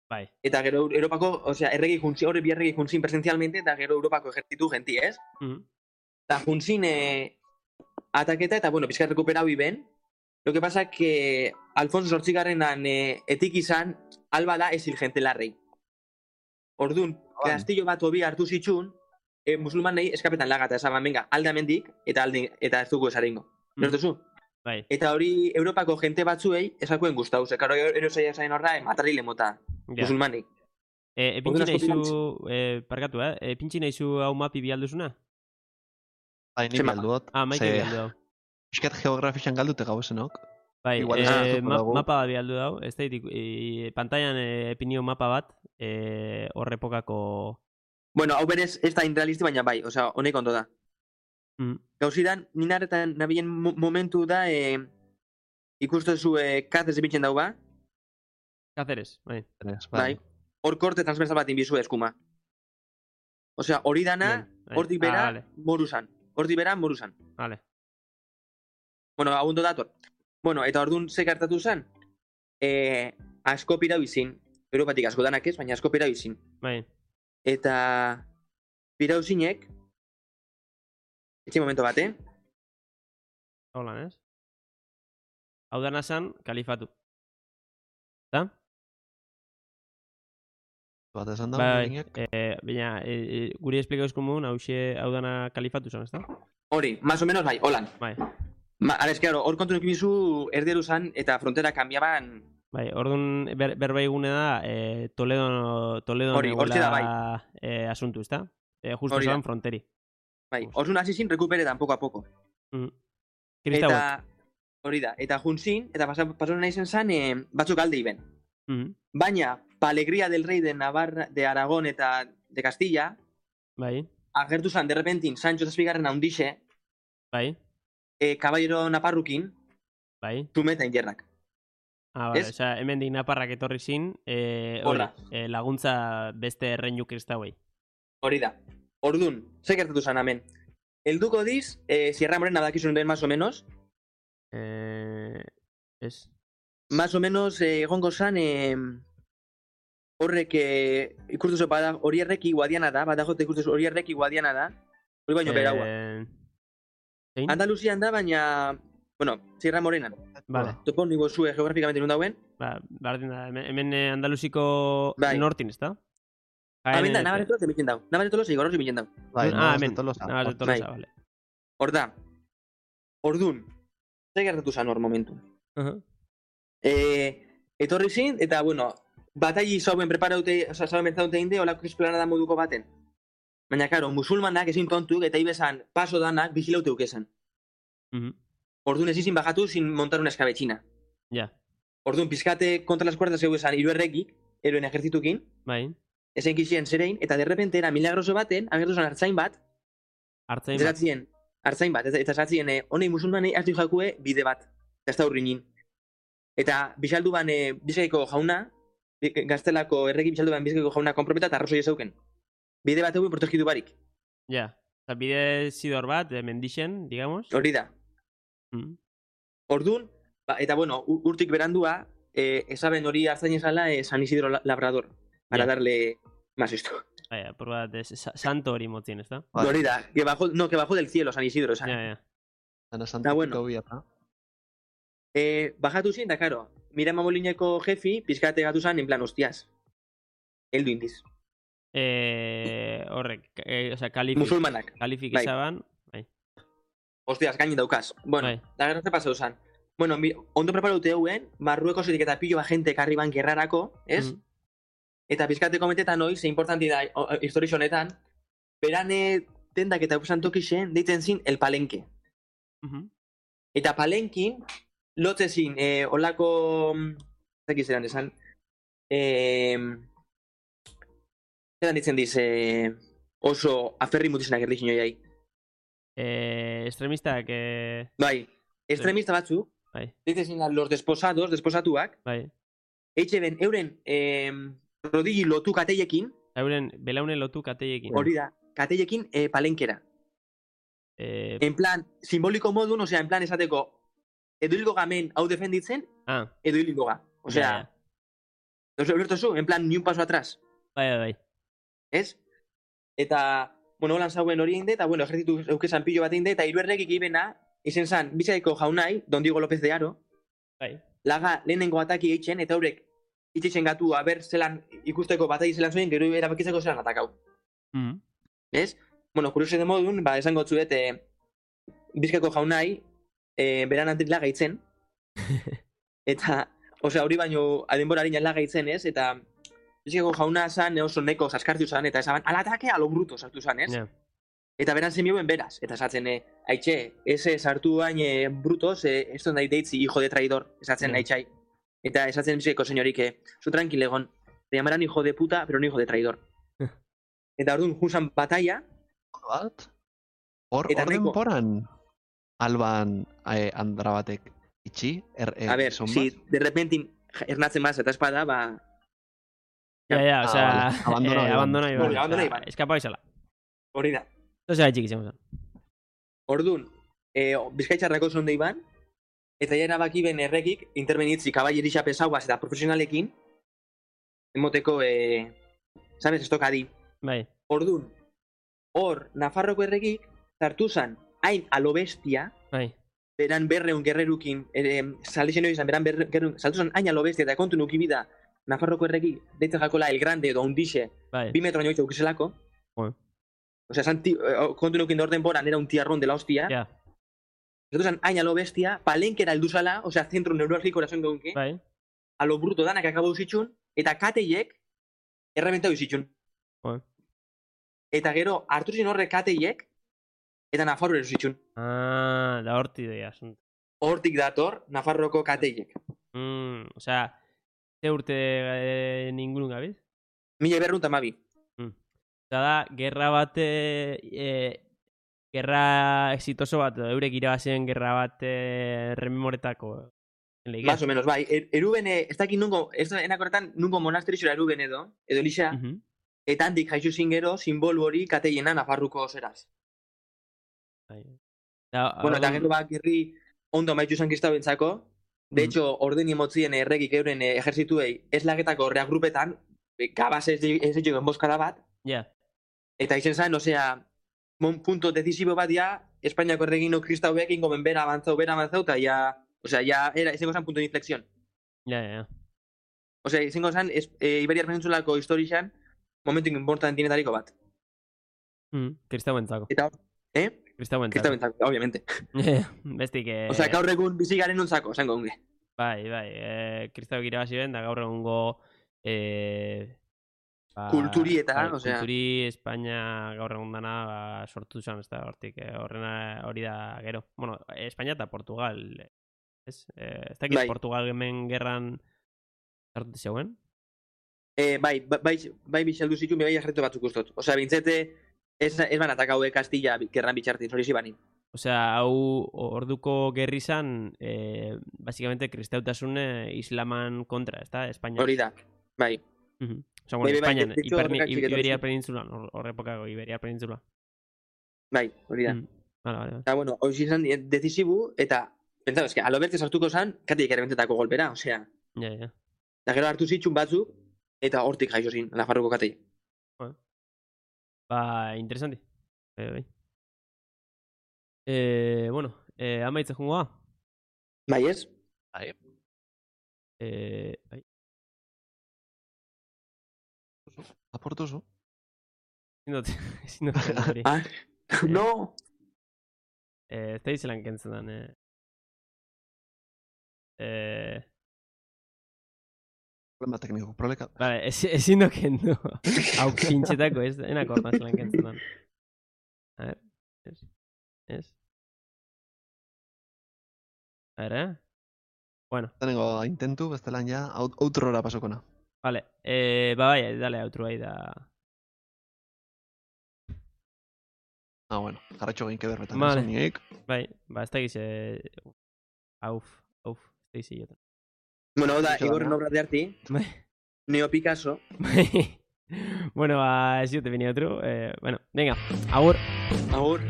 Bai. Eta gero Europako, osea, erregi juntzin, horre bi erregi juntzin presencialmente, eta gero Europako ejertzitu genti, ez? Eta juntzin ataketa, eta bueno, pizkat rekuperau iben. Lo que pasa que Alfonso Zortzigarrenan etik izan, alba da esil gente larrei. Orduan, kastillo bat obi hartu zitxun, musulmanei eskapetan lagata, esaban, venga, alde amendik, eta ez dugu esarengo. Nortuzu? Bai. Eta hori Europako jente batzuei esakuen guztau, zekaro erosaia zain horra, matarrile mota, musulmanik. Epintxin eizu, parkatu, epintxin eizu hau mapi bialduzuna? Bai, ni bialduot. Maite bialdu hau. Piskat geografixan galdute gau esenok. Bai, mapa bat bialdu hau, ez da, pantailan epinio mapa bat, horrepokako... Bueno, hau berez ez da inrealisti, baina bai, osea, honek ondo da. Gauzidan, ninaretan nabien momentu da, ikustezu Cáceres epintzen dau ba? Cáceres, bai. Bai. Hor korte transversal bat inbizu eskuma. Osea, hori dana, hortik bera, vale. morusan. Hortik bera, morusan. Vale. Bueno, abundo dator. Bueno, eta orduan ze gertatu zen? Asko pirau izin. Europatik asko danak ez, baina asko pirau izin. Bai. Eta pirau zinek, etxe momento bat, Hola, ez? Hau dana zan, kalifatu. Eta? Bat esan da, Bai, Mourinhok? baina, guri esplikauz komun, hau dana kalifatu zan, ez da? Hori, más o menos bai, holan. Bai. Ara, es que, hor kontu nukibizu erderu zan eta frontera kambiaban. Bai, orduan berba egune da, Toledo Hori, hortxe da, bai. Asuntu, ez da? Justo Hori da. zan fronteri. Bai, orduan hasi zin recupere poco a poco. Kristauek. Eta, hori da, eta juntzin, eta pasaron nahi zen batzuk alde iben. Baina, pa alegría del rey de Navarra, de Aragón eta de Castilla, Bai, agertu zan, de repentin, Sancho Zazpigarren haundixe, bai, Caballero Naparrukin, bai. tumeta injerrak. Ah, vale, Ez? osea, hemendik Naparrak etorri zin, Hola. laguntza beste erreinu kristauei. Hori da. Ordun, ze gertatu zan hemen. Helduko diz, Sierra Morena dakizun den más o menos, Ez? más o menos egongo zan horrek ikustuzo bada hori erreki guadiana da, badajote ikustuzo hori erreki guadiana da, hori baino beraua. Zein? Andaluzian da, baina, bueno, Sierra Morenan. Vale. Toponimo zue geografikamente nun dauen. Ba, bardin da, hemen Andaluziko Bai. nortin, ez da? Hemen da, Navarre Tolosa emiten dau. Navarre Tolosa igorroz emiten dau. Bai, hemen. de Tolosa. Nabas de Tolosa, Bai. vale. Hor da. Ordun, ze gertatu zan hor momentu. Etorri zin, eta, bueno, batai zauen preparaute, oza, zauen mentzaute inde, olako esplanada moduko baten. Baina, karo, musulmanak ezin tontuk, eta ibesan paso danak bizilaute ukesan. Ordun ez izin bajatu sin montar una escabechina. Ja, Ordun, pizkate kontra las cuerdas zeu esan hiru errekik, eroen ejertzitukin, bai. ezen kizien zerein, eta derrepente era milagroso baten, agertu zen hartzain bat, Hartzain bat. Zeratzien, hartzain bat, eta esatzien, honei musulmanei hartu jakue bide bat, eta ez da urrinin. Eta bizaldu ban Bizkaiko jauna, Gaztelako erreki bizaldu ban Bizkaiko jauna konprometa eta arrozoi ezauken. Bide bat egin protegitu barik. Ja, eta bide zidor bat, mendixen, digamos. Hori da. Ordun, eta bueno, urtik berandua, esaben hori hartzain esala San Isidro Labrador, para Ja. darle más esto. Bai, por bat, santo hori motzien, ez da? Vale. Hori da, que bajó del cielo San Isidro, esan. Ja. Ana Da, Santitiko bueno. biata. Bajatu zin, da, karo, Mirama Molineko jefi, pizkate gatu zan, en plan, hostias. Heldu indiz. Horrek, osea, kalifik. Musulmanak. Kalifik Bai. izaban, bai. Hostias, gainin daukaz. Bueno, Bai. da gero ze pasau zan. Bueno, ondo preparaute hauen, Marruekosetik eta pilo jente karri ban gerrarako, ez? Eta pizkate komentetan hoi, ze importanti da historia honetan, berane tendak eta usan tokixen, deiten zin el palenque. Eta palenkin, lotze zin, olako, zaki zeran esan, zeran ditzen diz, oso aferri mutizenak erdizin joiai. Extremistak, Bai, extremista batzu, bai, ditzen zin los desposados, desposatuak, bai. eitxe ben, euren rodilli lotu kateiekin, Euren, belaunen lotu kateiekin. hori da, kateiekin palenkera. En plan, simboliko modun, osea, en plan esateko, edo hilgo gamen hau defenditzen, edo hilgo ga. Osea, ulertu en plan, ni un paso atrás. Bai. Ez? Eta, bueno, holan zauen hori inde, eta, bueno, ejertzitu eukesan pillo bat inde, eta hiruerrekik ibena, izen zan, Bizkaiko jaunai, Don Diego López de Haro, Bai. laga lehenengo ataki eitzen, eta horrek itxeitzen gatu, aber zelan ikusteko batai zelan zuen, gero erabakitzeko zelan atakau. Ez? Bueno, kurioso de modun, esango tzuet, Bizkaiko jaunai, beran antik laga itzen, eta, osea, hori baino, adenbora harina laga itzen, ez? Eta, Bizkaiko jauna zan, oso neko zaskartu zan, eta esaban, al ataque a lo bruto sartu zan, ez? Yeah. Eta beran zemioen beraz, eta esatzen, haitxe, ese sartu hain brutos, esto nahi deitzi, hijo de traidor, esatzen haitxai. Eta esatzen Bizkaiko senyorik, zu tranquil egon, te llamaran hijo de puta, pero no hijo de traidor. Eta orduan, junzan batalla, Bat? Hor Eta nahiko- denporan alban andra batek itxi? a ver, si de repente ernatzen maz eta espada, ba... Ja, osea, vale. Abandona abandona Bueno, abandona Iban. Iban. Eskapa izala. Hori da. Zozera txik izango zen. Ordun, Bizkaitzarrako zonde iban, eta ja erabaki ben errekik, interbenitzi kaballerisa pesauaz eta profesionalekin, emoteko, sabes, estokadi. Bai. Ordun, hor, Nafarroko errekik, zartu zan, hain alo bestia, Bai. beran berreun gerrerukin, saldixen hori izan, beran berreun, saltu zan, hain alo bestia, eta kontu nukibida, Nafarroko errekik, deitzen jakola El Grande edo Undixe, Bai. 2 metro nioitza ukizelako. Bueno. Osea, kontu nukin orden boran, era un tiarrón de la hostia. Ja. Zato zan, hain alo bestia, palenkera helduzala, osea, zentro neurologiko erazen geunke, Bai. a lo bruto danak akabau zitxun, eta kateiek errebentau zitxun. Bueno. Eta gero, hartu zin horre kateiek, eta Nafarro erosi zitxun. Da horti doia asunto. Hortik dator, Nafarroko kateiek. Osea, ze urte ningunun gabiz? 1212. Eta da, gerra bat, gerra exitoso bat, eurek irabazien gerra bat rememoretako. Más o menos, bai. Erubene, ez dakit nungo, ez enakorretan nungo monasterixora eruben edo lixa, eta handik jaixu zingero, simbolu hori kateiena Nafarruko zeraz. Bai. Bueno, eta gero bak gerri ondo maitxu zan kristau bentzako, de hecho, orden emotzien erregik euren ejerzituei ez lagetako reagrupetan, gabaz ez ditugu enboskada bat, Ja. eta izen zan, osea, punto decisibo bat ja, Espainiako erregino kristauek ingo bera avantzau, eta ja, osea, ja, izango zan punto de inflexión. Ja. Osea, izango zan, Iberiar Peninsulako historixan, momentu importantienetariko bat. Kristauentzako. Eta, Kristauentzako. Kristauentzako, obviamente. Bestik, Osea, gaur egun bizi garen nuntzako, zango unge. Bai, kristauek irabazi ben, da gaur egungo kulturi eta, osea... Kulturi, Espainia gaur egun dana sortu zan, ez da, hortik, hori da gero. Bueno, Espainia eta Portugal, ez? Ez dakit Portugal hemen gerran sartu zeuen? Bai bixaldu zituen, bai jarretu batzuk ustot. Osea, bintzete, ez banatak haue Kastilla gerran bitxartin, hori zibanin. Osea, hau orduko gerri zan, básicamente, kristautasun islaman kontra, ez da, Espainia. Hori da, bai. Osea, bueno, Espainian, Iberiar Penintzulan, horrepokako Iberiar Penintzulan. Bai, hori da. Vale. Eta, bueno, hori izan decisibu, eta, pentsatu, eske, alo bertze sartuko zan, katik errebentetako golpera, osea. Ja. Eta gero hartu zitxun batzuk, eta hortik jaixo zin, Nafarroko katei. Interesanti. Bai. Bueno, amaitze jungoa? Bai, ez? Bai. Bai. Aportuzu? Ezin dut hori. No! Ez da izelan kentzen dan, Problema tekniko, proleka. Vale, ezin dut kendu. Hau pintxetako, ez enako orta zelan kentzen dan. A ver, ez. A ver, Bueno. Tengo intentu, bestelan ja, outrora pasokona. Vale, bai, dale outro ahí da. Bueno, jarratxo gain kederretan. Vale. Bai, ez da gize... Auf, ez da gize jotan. Bueno, da, Igorren obra de arti. Bai. Neo Picasso. Bueno, ez dute venía otro. Bueno, venga, agur. Agur.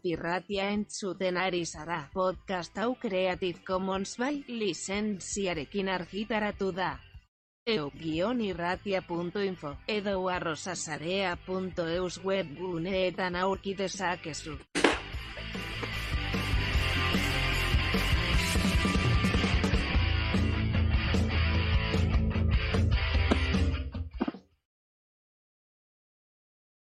Pirratia entzuten ari zara. Podcast hau Creative Commons by lizentziarekin argitaratu da. EU-irratia.info edo arrosasarea.eus webguneetan aurki dezakezu.